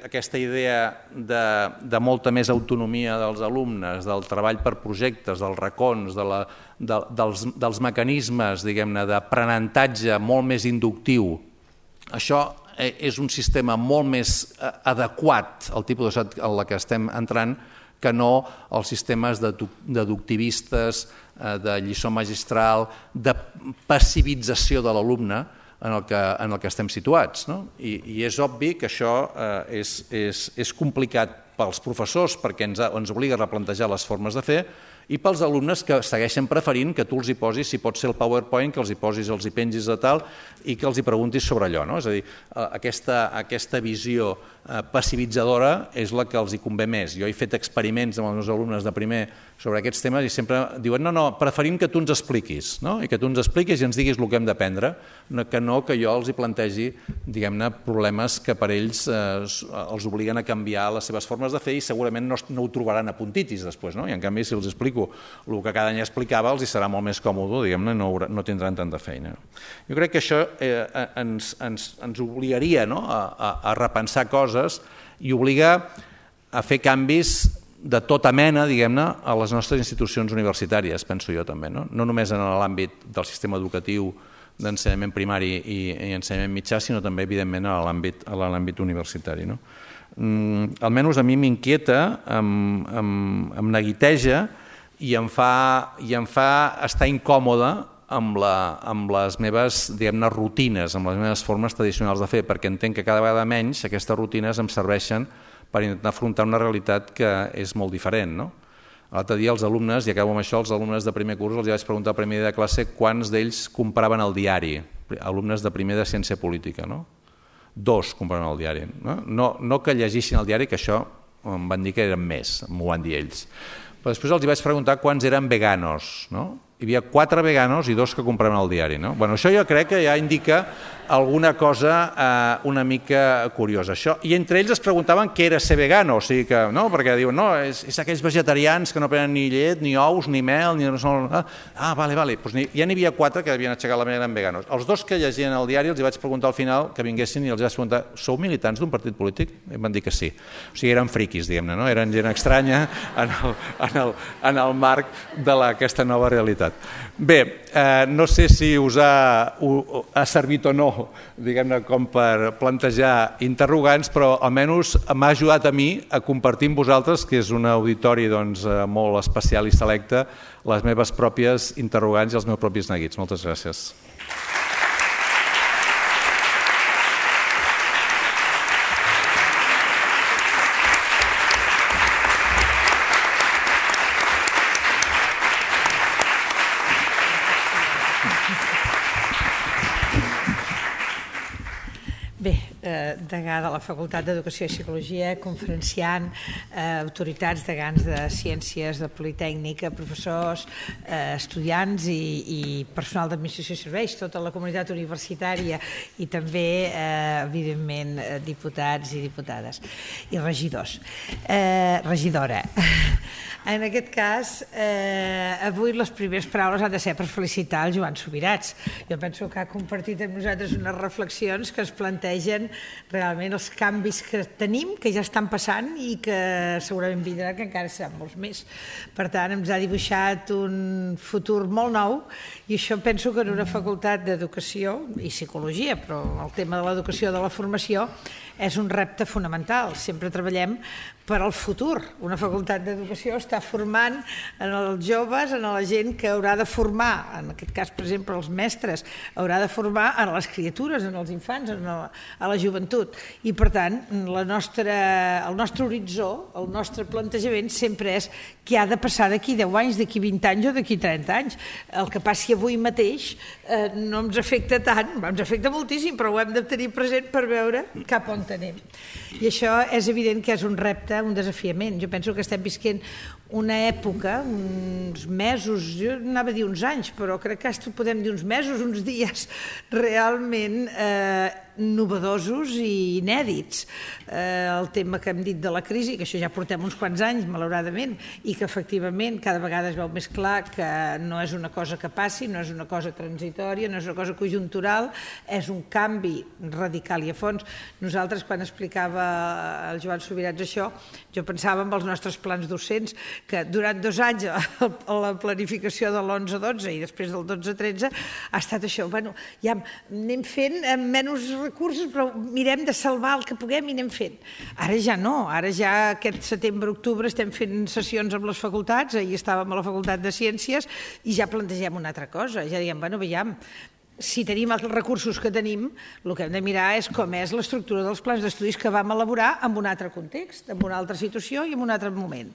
aquesta idea de molta més autonomia dels alumnes, del treball per projectes, dels racons, dels mecanismes, diguem-ne, d'aprenentatge molt més inductiu, això és un sistema molt més adequat al tipus de societat en la que estem entrant que no els sistemes deductivistes, de lliçó magistral, de passivització de l'alumne en el que estem situats. I és obvi que això és complicat pels professors perquè ens obliga a replantejar les formes de fer i pels alumnes que segueixen preferint que tu els hi posis, si pot ser el PowerPoint, que els hi posis, els hi pengis de tal i que els hi preguntis sobre allò. És a dir, aquesta visió passivitzadora és la que els hi convé més. Jo he fet experiments amb els meus alumnes de primer sobre aquests temes i sempre diuen no, preferim que tu ens expliquis i que tu ens expliquis i ens diguis el que hem d'aprendre, que jo els hi plantegi, diguem-ne, problemes que per ells els obliguen a canviar les seves formes de fer i segurament no ho trobaran a puntitis després. I en canvi, si els explico el que cada any explicava, els hi serà molt més còmode, diguem-ne, no tindran tanta feina. Jo crec que això ens obligaria a repensar coses i obliga a fer canvis de tota mena, diguem-ne, a les nostres institucions universitàries, penso jo també. No només en l'àmbit del sistema educatiu d'ensenyament primari i ensenyament mitjà, sinó també, evidentment, a l'àmbit universitari. Almenys a mi m'inquieta, em neguiteja i em fa estar incòmode amb les meves, diguem-ne, rutines, amb les meves formes tradicionals de fer, perquè entenc que cada vegada menys aquestes rutines em serveixen per intentar afrontar una realitat que és molt diferent. L'altre dia els alumnes, i acabo amb això, els alumnes de primer curs, els vaig preguntar al primer dia de classe quants d'ells compraven el diari, alumnes de primer de ciència política. 2 compraven el diari. No que llegissin el diari, que això em van dir que eren més, m'ho van dir ells. Però després els vaig preguntar quants eren veganos. Hi havia 4 veganos i 2 que compraven el diari. Això jo crec que ja indica alguna cosa una mica curiosa. I entre ells es preguntaven què era ser vegano, perquè diuen, no, és aquells vegetarians que no prenen ni llet, ni ous, ni mel, ni... Vale. Ja n'hi havia 4 que havien aixecat la manera eren veganos. Els 2 que llegien el diari els vaig preguntar al final que vinguessin i els vaig preguntar, sou militants d'un partit polític? I em van dir que sí. O sigui, eren friquis, diguem-ne, eren gent estranya en el marc d'aquesta nova realitat. Bé, no sé si us ha servit o no, diguem-ne, com per plantejar interrogants, però almenys m'ha ajudat a mi a compartir amb vosaltres, que és un auditori molt especial i selecte, les meves pròpies interrogants i els meus propis neguits. Moltes gràcies. Bé, degà de la Facultat d'Educació i Psicologia, conferenciant, autoritats, degans de Ciències, de Politècnica, professors, estudiants i personal d'administració i serveis, tota la comunitat universitària i també, evidentment, diputats i diputades i regidors. Regidora. En aquest cas, avui les primeres paraules han de ser per felicitar el Joan Subirats. Jo penso que ha compartit amb nosaltres unes reflexions que ens plantegen realment els canvis que tenim, que ja estan passant i que segurament vindran, que encara seran molts més. Per tant, ens ha dibuixat un futur molt nou i això penso que en una facultat d'educació i psicologia, però el tema de l'educació, de la formació, és un repte fonamental. Sempre treballem per al futur. Una facultat d'educació està formant en els joves, en la gent que haurà de formar, en aquest cas, per exemple, els mestres, haurà de formar en les criatures, en els infants, a la joventut. I, per tant, el nostre horitzó, el nostre plantejament sempre és què ha de passar d'aquí 10 anys, d'aquí 20 anys o d'aquí 30 anys. El que passi avui mateix no ens afecta tant, ens afecta moltíssim, però ho hem de tenir present per veure cap on anem. I això és evident que és un repte, un desafiament. Jo penso que estem visquent una època, uns mesos, jo anava a dir uns anys, però crec que podem dir uns mesos, uns dies realment novedosos i inèdits. El tema que hem dit de la crisi, que això ja portem uns quants anys, malauradament, i que efectivament cada vegada es veu més clar que no és una cosa que passi, no és una cosa transitòria, no és una cosa conjuntural, és un canvi radical i a fons. Nosaltres, quan explicava el Joan Subirats això, jo pensava en els nostres plans docents, que durant 2 anys la planificació de l'11-12 i després del 12-13 ha estat això. Bueno, ja anem fent amb menys recursos, però mirem de salvar el que puguem i anem fent. Ara ja no, ara ja aquest setembre-octubre estem fent sessions amb les facultats, ahir estàvem a la Facultat de Ciències i ja plantegem una altra cosa, ja diem, bueno, veiem, si tenim els recursos que tenim, el que hem de mirar és com és l'estructura dels plans d'estudis que vam elaborar en un altre context, en una altra situació i en un altre moment.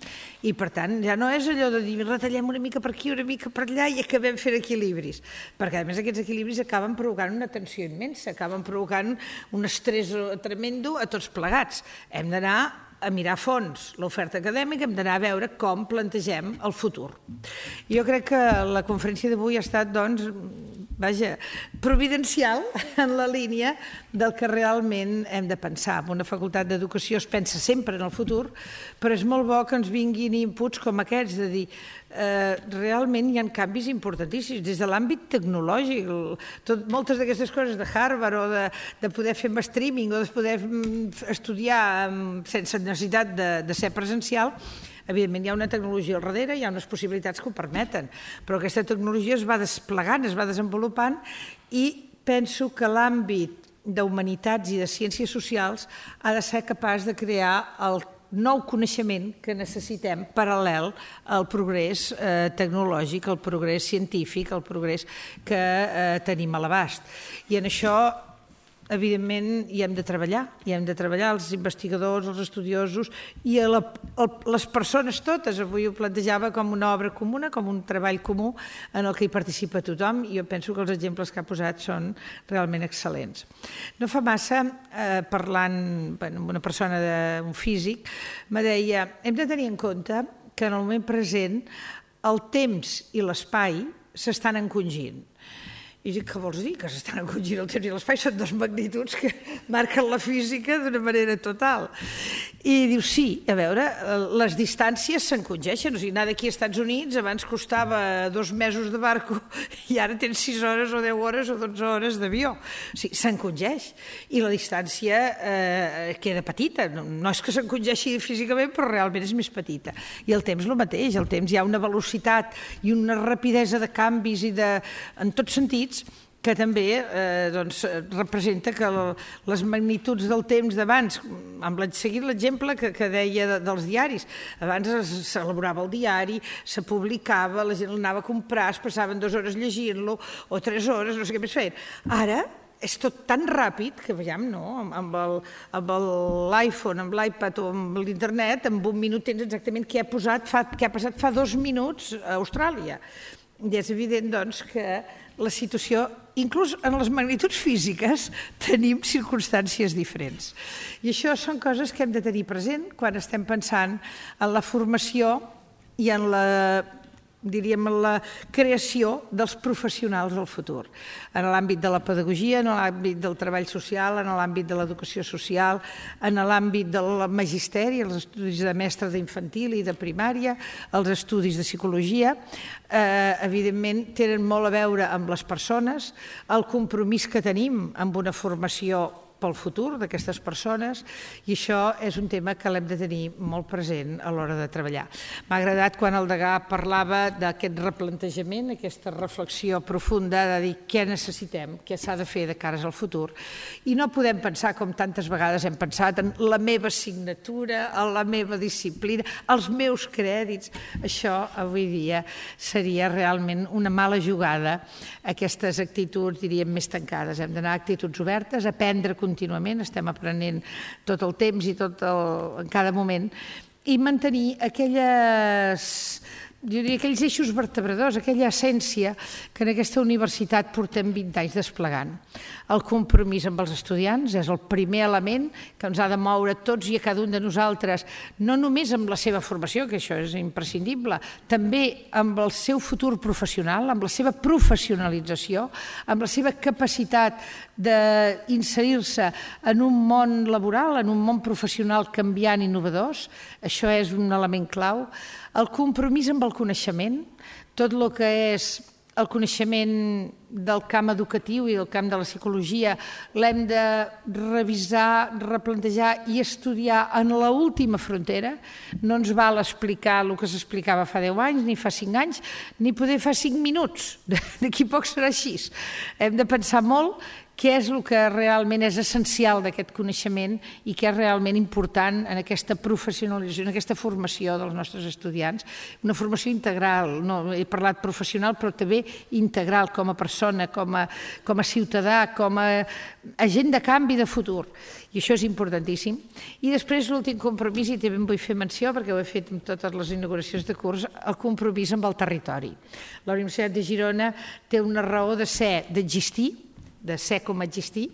I, per tant, ja no és allò de dir retallem una mica per aquí, una mica per allà i acabem fent equilibris, perquè, a més, aquests equilibris acaben provocant una tensió immensa, acaben provocant un estrès tremendo a tots plegats. Hem d'anar a mirar a fons l'oferta acadèmica, hem d'anar a veure com plantegem el futur. Jo crec que la conferència d'avui ha estat, doncs, providencial en la línia del que realment hem de pensar. En una facultat d'educació es pensa sempre en el futur, però és molt bo que ens vinguin inputs com aquests, de dir, realment hi ha canvis importantíssims des de l'àmbit tecnològic. Moltes d'aquestes coses de Harvard o de poder fer streaming o de poder estudiar sense necessitat de ser presencial, evidentment hi ha una tecnologia al darrere, hi ha unes possibilitats que ho permeten, però aquesta tecnologia es va desplegant, es va desenvolupant i penso que l'àmbit d'humanitats i de ciències socials ha de ser capaç de crear el nou coneixement que necessitem paral·lel al progrés tecnològic, al progrés científic, al progrés que tenim a l'abast. I en això, evidentment, hi hem de treballar els investigadors, els estudiosos i les persones totes. Avui ho plantejava com una obra comuna, com un treball comú en el que hi participa tothom i jo penso que els exemples que ha posat són realment excel·lents. No fa massa, parlant amb una persona, un físic, me deia, hem de tenir en compte que en el moment present el temps i l'espai s'estan encongint. I dic, què vols dir? Que s'estan encongint el temps i l'espai? Són dues magnituds que marquen la física d'una manera total. I diu, sí, a veure, les distàncies s'encongeixen. O sigui, anar d'aquí als Estats Units abans costava 2 mesos de barco i ara tens 6 hores o 10 hores o 12 hores d'avió. O sigui, s'encongeix. I la distància queda petita. No és que s'encongeixi físicament, però realment és més petita. I el temps el mateix. El temps hi ha una velocitat i una rapidesa de canvis i en tots sentits que també representa que les magnituds del temps d'abans, seguint l'exemple que deia dels diaris, abans s'elaborava el diari, se publicava, la gent l'anava a comprar, es passaven 2 hores llegint-lo o 3 hores, no sé què més feien. Ara és tot tan ràpid que, veiem, no? Amb l'iPhone, amb l'iPad o amb l'internet, en un minut tens exactament què ha passat fa 2 minuts a Austràlia. I és evident, doncs, que la situació, inclús en les magnituds físiques, tenim circumstàncies diferents. I això són coses que hem de tenir present quan estem pensant en la formació i en la creació dels professionals del futur, en l'àmbit de la pedagogia, en l'àmbit del treball social, en l'àmbit de l'educació social, en l'àmbit del magisteri, els estudis de mestre d'infantil i de primària, els estudis de psicologia, evidentment tenen molt a veure amb les persones, el compromís que tenim amb una formació pel futur d'aquestes persones, i això és un tema que l'hem de tenir molt present a l'hora de treballar. M'ha agradat quan el degà parlava d'aquest replantejament, aquesta reflexió profunda de dir què necessitem, què s'ha de fer de cares al futur, i no podem pensar com tantes vegades hem pensat en la meva assignatura, en la meva disciplina, els meus crèdits. Això avui dia seria realment una mala jugada, aquestes actituds, diríem, més tancades. Hem d'anar a actituds obertes, aprendre contínuament, estem aprenent tot el temps i en cada moment, i mantenir aquells eixos vertebradors, aquella essència que en aquesta universitat portem 20 anys desplegant. El compromís amb els estudiants és el primer element que ens ha de moure tots i a cada un de nosaltres, no només amb la seva formació, que això és imprescindible, també amb el seu futur professional, amb la seva professionalització, amb la seva capacitat d'inserir-se en un món laboral, en un món professional canviant i innovadors. Això és un element clau. El compromís amb el coneixement, tot el que és el coneixement del camp educatiu i del camp de la psicologia, l'hem de revisar, replantejar i estudiar en l'última frontera. No ens val explicar el que s'explicava fa 10 anys, ni fa 5 anys, ni poder fa 5 minuts. D'aquí poc serà així. Hem de pensar molt què és el que realment és essencial d'aquest coneixement i què és realment important en aquesta professionalització, en aquesta formació dels nostres estudiants. Una formació integral, no he parlat professional, però també integral com a persona, com a ciutadà, com a agent de canvi de futur. I això és importantíssim. I després l'últim compromís, i també en vull fer menció, perquè ho he fet en totes les inauguracions de curs, el compromís amb el territori. La Universitat de Girona té una raó de ser, d'existir, de ser com existir,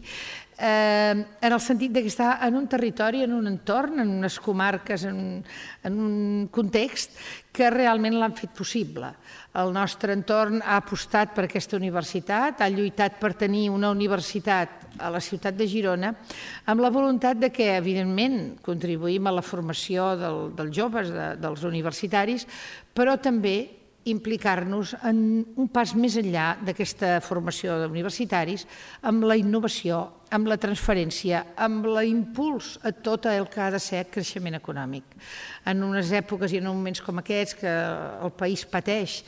en el sentit que està en un territori, en un entorn, en unes comarques, en un context que realment l'han fet possible. El nostre entorn ha apostat per aquesta universitat, ha lluitat per tenir una universitat a la ciutat de Girona, amb la voluntat de que, evidentment, contribuïm a la formació dels joves, dels universitaris, però també implicar-nos en un pas més enllà d'aquesta formació d'universitaris amb la innovació, amb la transferència, amb l'impuls a tot el que ha de ser creixement econòmic. En unes èpoques i en moments com aquests que el país pateix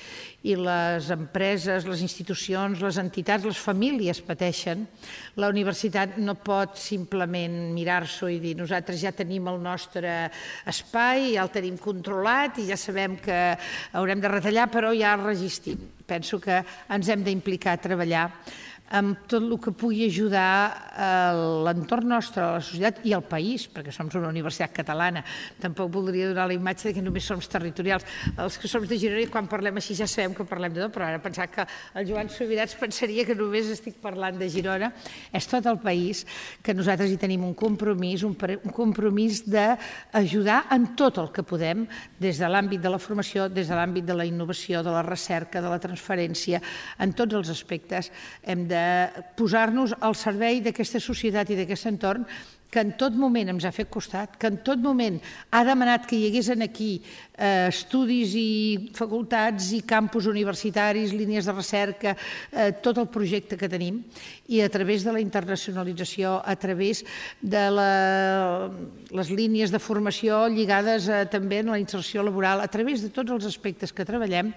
i les empreses, les institucions, les entitats, les famílies pateixen, la universitat no pot simplement mirar-s'ho i dir nosaltres ja tenim el nostre espai, ja el tenim controlat i ja sabem que haurem de retallar, però ja el resistim. Penso que ens hem d'implicar a treballar amb tot el que pugui ajudar l'entorn nostre, a la societat i al país, perquè som una universitat catalana. Tampoc voldria donar la imatge que només som territorials. Els que som de Girona, quan parlem així ja sabem que parlem de tot, però ara pensar que el Joan Subirats pensaria que només estic parlant de Girona. És tot el país que nosaltres hi tenim un compromís d'ajudar en tot el que podem, des de l'àmbit de la formació, des de l'àmbit de la innovació, de la recerca, de la transferència, en tots els aspectes hem de posar-nos al servei d'aquesta societat i d'aquest entorn que en tot moment ens ha fet costat, que en tot moment ha demanat que hi hagués aquí estudis i facultats i campus universitaris, línies de recerca, tot el projecte que tenim, i a través de la internacionalització, a través de les línies de formació lligades també a la inserció laboral, a través de tots els aspectes que treballem,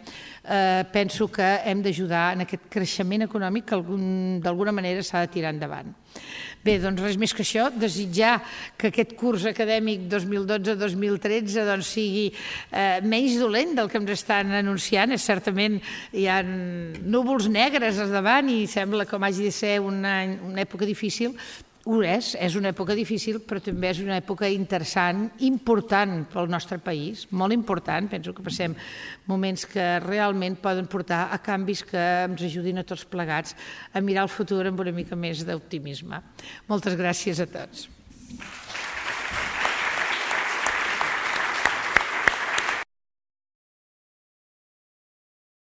penso que hem d'ajudar en aquest creixement econòmic que d'alguna manera s'ha de tirar endavant. Bé, doncs res més que això, desitjar que aquest curs acadèmic 2012-2013 sigui menys dolent del que ens estan anunciant. Certament hi ha núvols negres al davant i sembla com hagi de ser una època difícil. és una època difícil, però també és una època interessant, important pel nostre país, molt important. Penso que passem moments que realment poden portar a canvis que ens ajudin a tots plegats a mirar el futur amb una mica més d'optimisme. Moltes gràcies a tots.